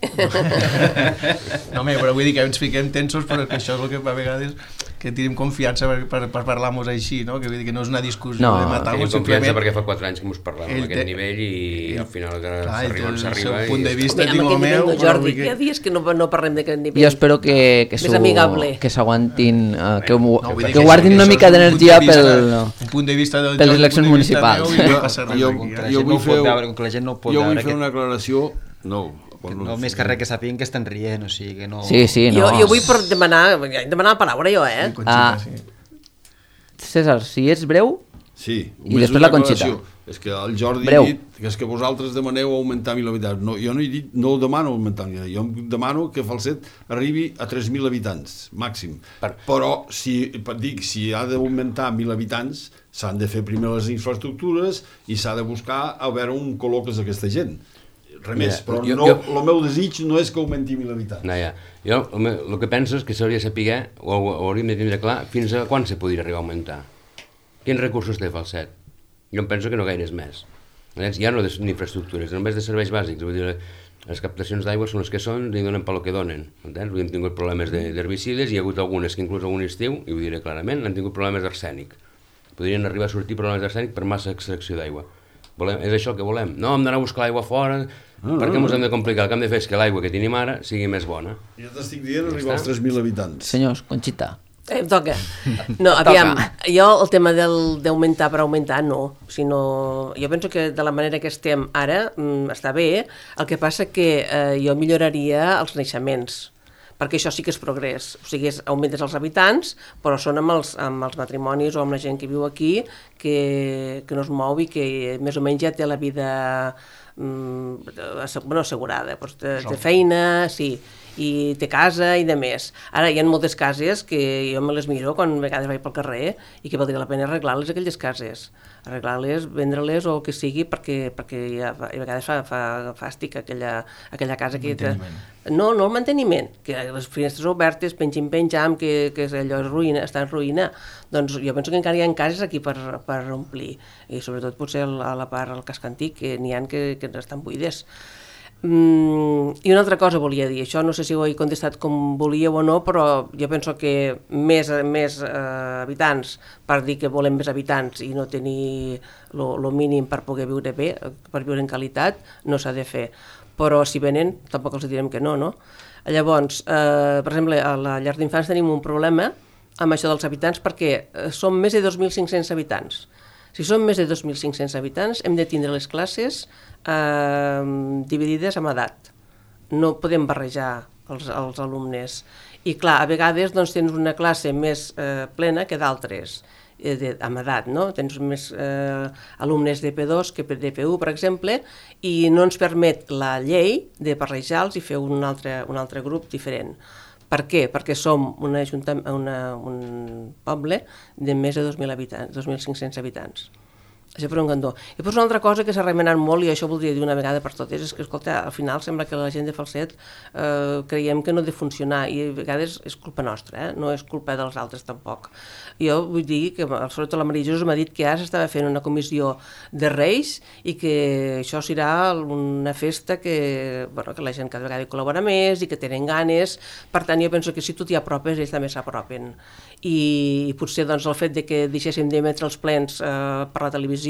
No, home, però vull dir que ens fiquem tensos, però que això és el que a vegades que tenim confiança per, per, per parlar-nos així, no? Que vull dir que no és una discussió no, de matar-nos, tenim confiança perquè fa quatre anys que ens parlem a aquest te... nivell i al final s'arriba on s'arriba. El punt de vista, dic el meu... Jordi, que... hi ha dies que no, no parlem d'aquest nivell. Jo espero que, que, que s'aguantin, uh, que, no, que, que guardin una mica d'energia pel, un punt de vista del per les eleccions municipals. Jo, jo, jo vull fer, que la gent no pot jo vull veure fer que... una aclaració... No, que no, més que res que sàpiguen que estan rient, o sigui que no... Sí, sí, no. Jo, jo vull per demanar, demanar la paraula jo, eh? Ah, César, si ets breu, sí, i després la Conxita. És que el Jordi breu. ha dit que és que vosaltres demaneu augmentar mil habitants. No, jo no he dit, no demano augmentar mil habitants, jo demano que Falset arribi a tres mil habitants, màxim. Per... Però, si, dic, si ha d'augmentar mil habitants, s'han de fer primer les infraestructures i s'ha de buscar a veure on col·loques aquesta gent. Res més, però jo, no, jo... el meu desig no és que augmenti mil habitants. No, ja. Jo el, el que penso és que s'hauria de saber, o, o hauríem de tindre clar, fins a quan se podria arribar a augmentar. Quins recursos té Falset? Jo em penso que no gaires més. Ja no d'infraestructures, només de serveis bàsics. Vull dir, les captacions d'aigua són les que són i donen pel que donen. Entens? Hem tingut problemes d'herbicides, hi ha hagut algunes que inclús algun estiu, i ho diré clarament, han tingut problemes d'arsènic. Podrien arribar a sortir problemes d'arsènic per massa extracció d'aigua. Volem, és això el que volem. No, hem d'anar a buscar l'aigua fora, no, perquè no, ens no. hem de complicar. El que hem de fer és que l'aigua que tenim ara sigui més bona. Ja t'estic dient arribar als tres mil habitants. Senyors, Conxita. Eh, em toca. No, aviam, jo el tema d'augmentar per augmentar no, sinó jo penso que de la manera que estem ara mm, està bé, el que passa que eh, jo milloraria els naixements, perquè això sí que és progrés, o sigui, augmentes els habitants, però són amb els, amb els matrimonis o amb la gent que viu aquí, que, que no es mou i que més o menys ja té la vida mm, bueno, assegurada, doncs té, té feina, sí, i té casa i de més. Ara hi ha moltes cases que jo me les miro quan a vegades vaig pel carrer i que valdria la pena arreglar-les aquelles cases, arreglar-les, vendre-les o el que sigui, perquè, perquè ja, a vegades fa, fa fàstic aquella, aquella casa que... No, no el manteniment, que les finestres obertes, pengim-penjam, que, que allò és ruïna, està en ruïna. Doncs jo penso que encara hi ha cases aquí per, per omplir, i sobretot potser a la part del casc antic, que n'hi ha que, que estan buides. Mm, I una altra cosa volia dir, això no sé si ho he contestat com volíeu o no, però jo penso que més, més eh, habitants, per dir que volem més habitants i no tenir el mínim per poder viure bé, per viure en qualitat, no s'ha de fer. Però si venen, tampoc els direm que no, no? Llavors, eh, per exemple, a la llar d'infants tenim un problema amb això dels habitants perquè som més de dos mil cinc-cents habitants. Si som més de dos mil cinc-cents habitants, hem de tindre les classes eh, dividides amb edat. No podem barrejar els, els alumnes. I clar, a vegades doncs, tens una classe més eh, plena que d'altres, eh, de, amb edat, no? Tens més eh, alumnes de P dos que de P u, per exemple, i no ens permet la llei de barrejar-los i fer un altre, un altre grup diferent. Per què? Perquè som una, una, un poble de més de dos mil habitants, dos mil cinc-cents habitants. Això per un cantó. I després una altra cosa que s'ha remenat molt, i això voldria dir una vegada per totes, és que, escolta, al final sembla que la gent de Falset eh, creiem que no ha de funcionar, i a vegades és culpa nostra, eh? No és culpa dels altres tampoc. Jo vull dir que, sobretot la Maria Jesús m'ha dit que ara s'estava fent una comissió de Reis i que això serà una festa que, bueno, que la gent cada vegada hi col·labora més i que tenen ganes. Per tant, jo penso que si tu t'hi apropes, ells també s'apropen. I, i potser doncs, el fet de que deixéssim d'emetre els plens eh, per la televisió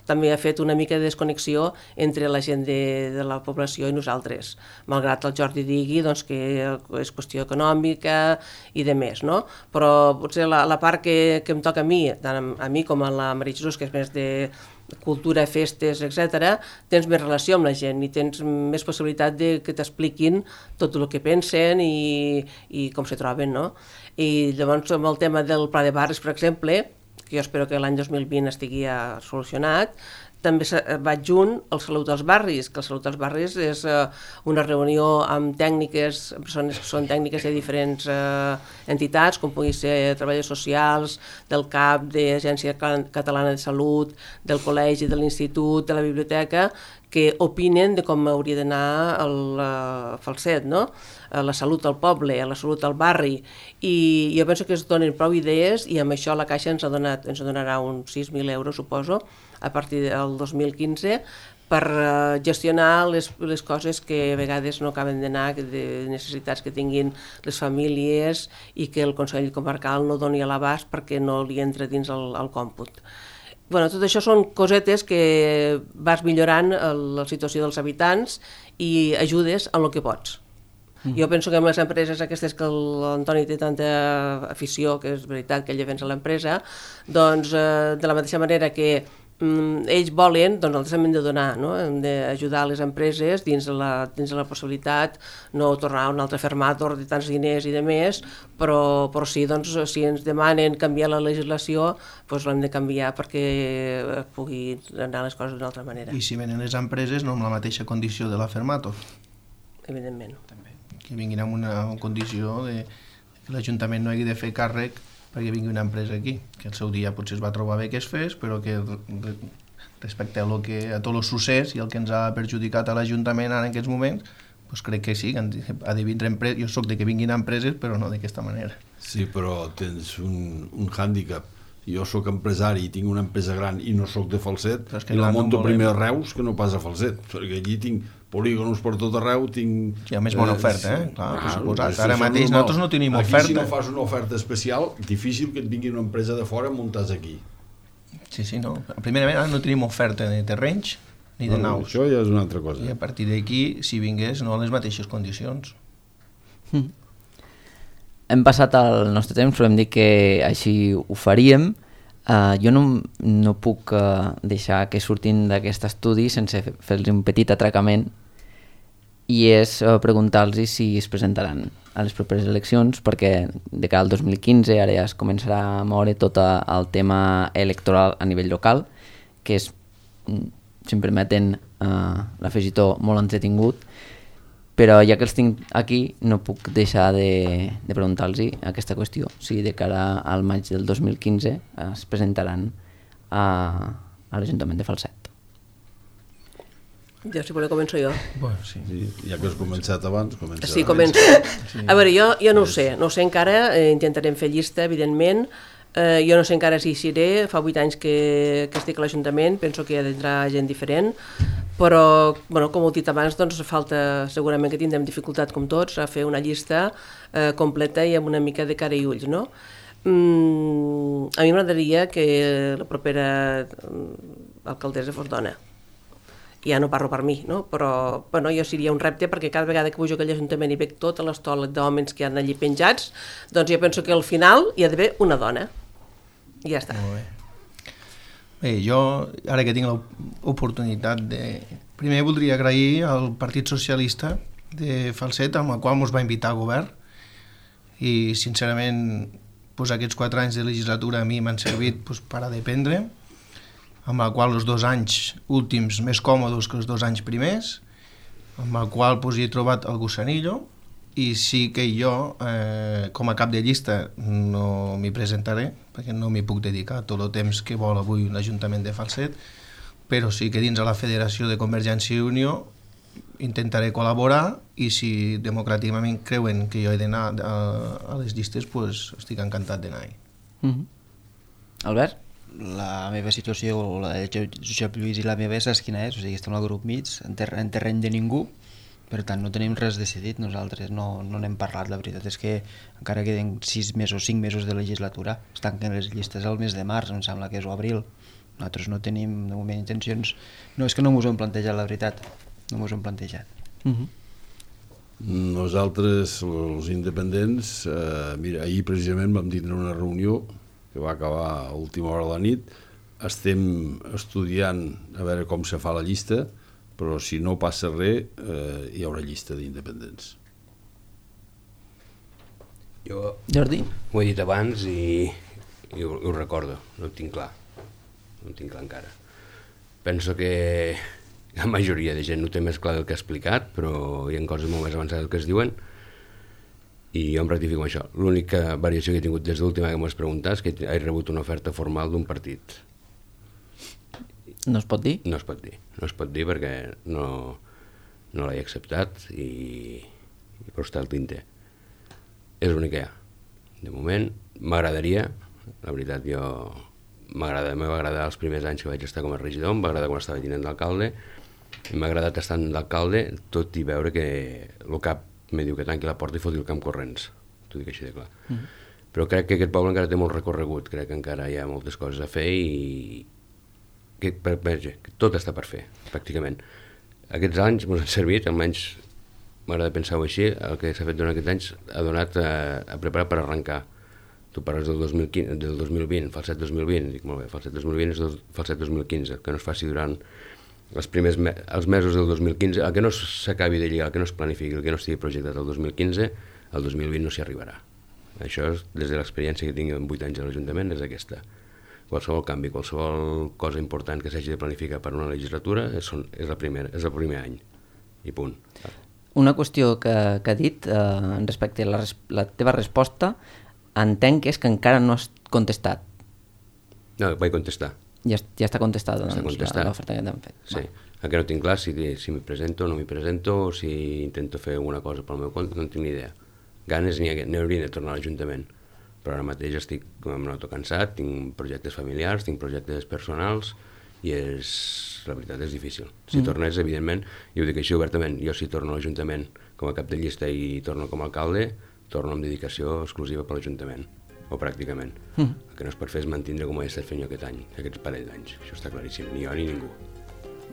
també ha fet una mica de desconnexió entre la gent de, de la població i nosaltres, malgrat el Jordi digui doncs, que és qüestió econòmica i de més, no? Però potser la, la part que, que em toca a mi, tant a, a mi com a la Maria Jesús, que és més de cultura, festes, etcètera, tens més relació amb la gent i tens més possibilitat de que t'expliquin tot el que pensen i, i com se troben, no? I llavors amb el tema del pla de barris, per exemple, que jo espero que l'any dos mil vint estigui ja solucionat, també va adjunt el Salut als Barris, que el Salut als Barris és eh, una reunió amb tècniques, persones que són tècniques de diferents eh, entitats, com pugui ser treballadors socials, del C A P, de l'Agència Catalana de Salut, del col·legi, de l'institut, de la biblioteca, que opinen de com hauria d'anar el uh, Falset, no? La salut al poble, la salut al barri, i jo penso que es donen prou idees i amb això la Caixa ens ha donat, ens donarà uns sis mil euros, suposo, a partir del dos mil quinze, per uh, gestionar les, les coses que a vegades no acaben d'anar, de necessitats que tinguin les famílies i que el Consell Comarcal no doni a l'abast perquè no li entra dins el, el còmput. Bueno, tot això són cosetes que vas millorant la situació dels habitants i ajudes en el que pots. Mm. Jo penso que amb les empreses aquestes que l'Antoni té tanta afició, que és veritat que ell defensa l'empresa, doncs eh, de la mateixa manera que mm, ells volen, doncs nosaltres hem de donar, no? Hem d'ajudar les empreses dins de la, dins de la possibilitat, no tornar a un altre fermator de tants diners i de més, però, però sí, doncs, si ens demanen canviar la legislació, doncs l'hem de canviar perquè pugui anar les coses d'una altra manera. I si venen les empreses, no amb la mateixa condició de la fermator. Evidentment. També. Que vinguin amb una condició de que l'Ajuntament no hagi de fer càrrec perquè vingui una empresa aquí, que el seu dia potser es va trobar bé que es fes, però que respecte a, lo que, a tot el succés i el que ens ha perjudicat a l'Ajuntament ara en aquests moments, doncs crec que sí, que ha de vindre empreses. Jo soc de que vinguin empreses, però no d'aquesta manera. Sí, però tens un, un hàndicap. Jo sóc empresari i tinc una empresa gran i no sóc de Falset, i la monto no primer a Reus que no pas a Falset, perquè allí tinc polígonos per tot arreu, tinc... Hi ha més bona oferta, eh? Clar, ah, suposat. Ara mateix normal. Nosaltres no tenim aquí, oferta. Aquí si no fas una oferta especial, difícil que et vingui una empresa de fora muntats aquí. Sí, sí, no. Primerament ara no tenim oferta de terrenys ni de no, naus. Això ja és una altra cosa. I a partir d'aquí, si vingués, no en les mateixes condicions. Mm. Hem passat el nostre temps, però hem dit que així ho faríem. Uh, jo no, no puc uh, deixar que surtin d'aquest estudi sense fer-los un petit atracament, i és uh, preguntar-los si es presentaran a les properes eleccions, perquè de cara al dos mil quinze ara ja es començarà a moure tot el tema electoral a nivell local, que és, si em permeten uh, l'afegitó, molt entretingut, però ja que els tinc aquí no puc deixar de, de preguntar-los aquesta qüestió, si de cara al maig del dos mil quinze es presentaran a, a l'Ajuntament de Falset. Ja, si voleu, començo jo. Bueno, sí. Sí, ja que has començat abans, comença. Sí, començo. Sí. A veure, jo, jo no ho sé, no ho sé encara, eh, intentarem fer llista, evidentment. Eh, jo no sé encara si hi seré, fa vuit anys que, que estic a l'Ajuntament, penso que hi ha d'entrar gent diferent, però, bueno, com ho he dit abans, doncs falta, segurament que tindrem dificultat com tots a fer una llista eh, completa i amb una mica de cara i ulls, no? Mm, a mi m'agradaria que la propera alcaldessa fos dona. Ja no parlo per mi, no? Però bueno, jo seria un repte perquè cada vegada que pujo a aquell ajuntament i veig tota l'estola d'homes que hi ha allí penjats, doncs jo penso que al final hi ha d'haver una dona. I ja està. Molt bé. Bé, jo, ara que tinc l'oportunitat de... Primer voldria agrair al Partit Socialista de Falset, amb el qual ens va invitar al govern, i sincerament pues, aquests quatre anys de legislatura a mi m'han servit pues, per a dependre, amb el qual els dos anys últims més còmodes que els dos anys primers, amb el qual pues, hi he trobat el gussanillo, i sí que jo, eh, com a cap de llista, no m'hi presentaré, perquè no m'hi puc dedicar tot el temps que vol avui l'Ajuntament de Falset, però sí que dins de la Federació de Convergència i Unió intentaré col·laborar, i si democràticament creuen que jo he d'anar a, a les llistes, pues, estic encantat d'anar-hi. Mm-hmm. Albert? La meva situació, la de Josep Lluís i la meva, saps quina és? O sigui, estem al grup mig, en, ter en terreny de ningú. Per tant, no tenim res decidit, nosaltres no no n'hem parlat. La veritat és que encara queden sis mesos, cinc mesos de legislatura, es tanquen les llistes al mes de març, em sembla que és o abril. Nosaltres no tenim, de moment, intencions... No, és que no m'ho hem plantejat, la veritat. No m'ho hem plantejat. Mm-hmm. Nosaltres, els independents, eh, mira, ahir precisament vam tindre una reunió que va acabar a última hora de la nit. Estem estudiant a veure com se fa la llista, però si no passa res, eh, hi haurà llista d'independents. Jo Jordi? Ho he dit abans i, i ho, ho recordo, no ho tinc clar, no ho tinc clar encara. penso que la majoria de gent no té més clar del que ha explicat, però hi ha coses molt més avançades que es diuen, i jo em rectifico això. L'única variació que he tingut des de l'última que m'ho has preguntat és que he rebut una oferta formal d'un partit. No es pot dir? No es pot dir, no es pot dir perquè no, no l'he acceptat i, i però està al tinter. És l'únic que hi ha. De moment, m'agradaria, la veritat, jo m'agrada, m'ha agradat els primers anys que vaig estar com a regidor, em va agradar quan estava tinent d'alcalde, i m'ha agradat estar d'alcalde, tot i veure que el cap me diu que tanqui la porta i foti el camp corrents, t'ho dic així de clar. Mm -hmm. Però crec que aquest poble encara té molt recorregut, crec que encara hi ha moltes coses a fer i que, per, per, que tot està per fer, pràcticament. Aquests anys m'han servit, almenys m'agrada pensar-ho així, el que s'ha fet durant aquests anys ha donat a, a preparar per arrencar. Tu parles del dos mil quinze, del dos mil vint, Falset dos mil vint, dic molt bé, Falset dos mil vint és el Falset dos mil quinze, que no es faci durant els primers me els mesos del dos mil quinze, el que no s'acabi de lligar, el que no es planifiqui, el que no estigui projectat el dos mil quinze, el dos mil vint no s'hi arribarà. Això, és, des de l'experiència que tinc en vuit anys a l'Ajuntament, és aquesta. Qualsevol canvi, qualsevol cosa important que s'hagi de planificar per una legislatura és, és, la primera, és el primer any, i punt. Una qüestió que, que ha dit eh, respecte a la, la teva resposta, entenc que és que encara no has contestat. No, vaig contestar. Ja, ja està contestada, doncs, l'oferta que t'han fet. Sí, encara no tinc clar si, si m'hi presento o no m'hi presento, o si intento fer alguna cosa pel meu compte, no en tinc ni idea. Ganes n'hi hauria de tornar a l'Ajuntament, però ara mateix estic, em noto cansat, tinc projectes familiars, tinc projectes personals, i és, la veritat és difícil. Si mm. tornés, evidentment, i ho dic així obertament, jo si torno a l'Ajuntament com a cap de llista i torno com a alcalde, torno amb dedicació exclusiva per l'Ajuntament, o pràcticament. Mm. El que no es pot fer és mantindre com ho he estat fent jo aquest any, aquests parell d'anys. Això està claríssim, ni jo ni ningú.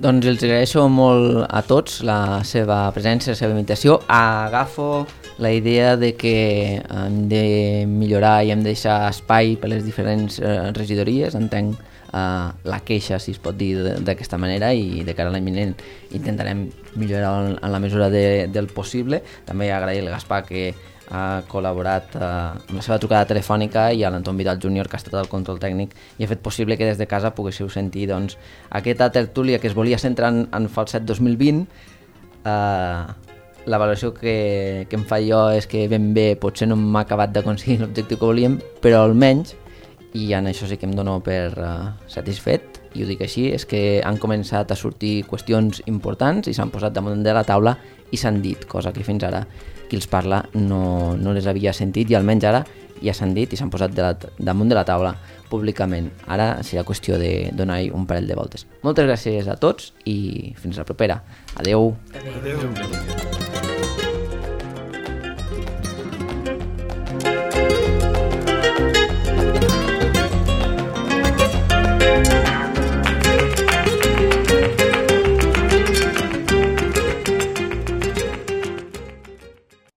Doncs els agraeixo molt a tots la seva presència, la seva invitació. Agafo la idea de que hem de millorar i hem de deixar espai per les diferents eh, regidories. Entenc eh, la queixa, si es pot dir d'aquesta manera, i de cara a l'any vinent intentarem millorar en, en la mesura de, del possible. També agrair al Gaspar que ha col·laborat eh, amb la seva trucada telefònica, i a l'Anton Vidal júnior, que ha estat el control tècnic i ha fet possible que des de casa poguéssiu sentir doncs, aquesta tertúlia que es volia centrar en, en Falset dos mil vint. Eh, la valoració que, que em fa jo és que ben bé potser no m'ha acabat d'aconseguir l'objectiu que volíem, però almenys, i en això sí que em dono per eh, satisfet, i ho dic així, és que han començat a sortir qüestions importants i s'han posat damunt de la taula i s'han dit, cosa que fins ara qui els parla no, no les havia sentit, i almenys ara ja s'han dit i s'han posat de la, damunt de la taula públicament. Ara serà qüestió de donar-hi un parell de voltes. Moltes gràcies a tots i fins la propera. Adeu. Adeu. Adeu.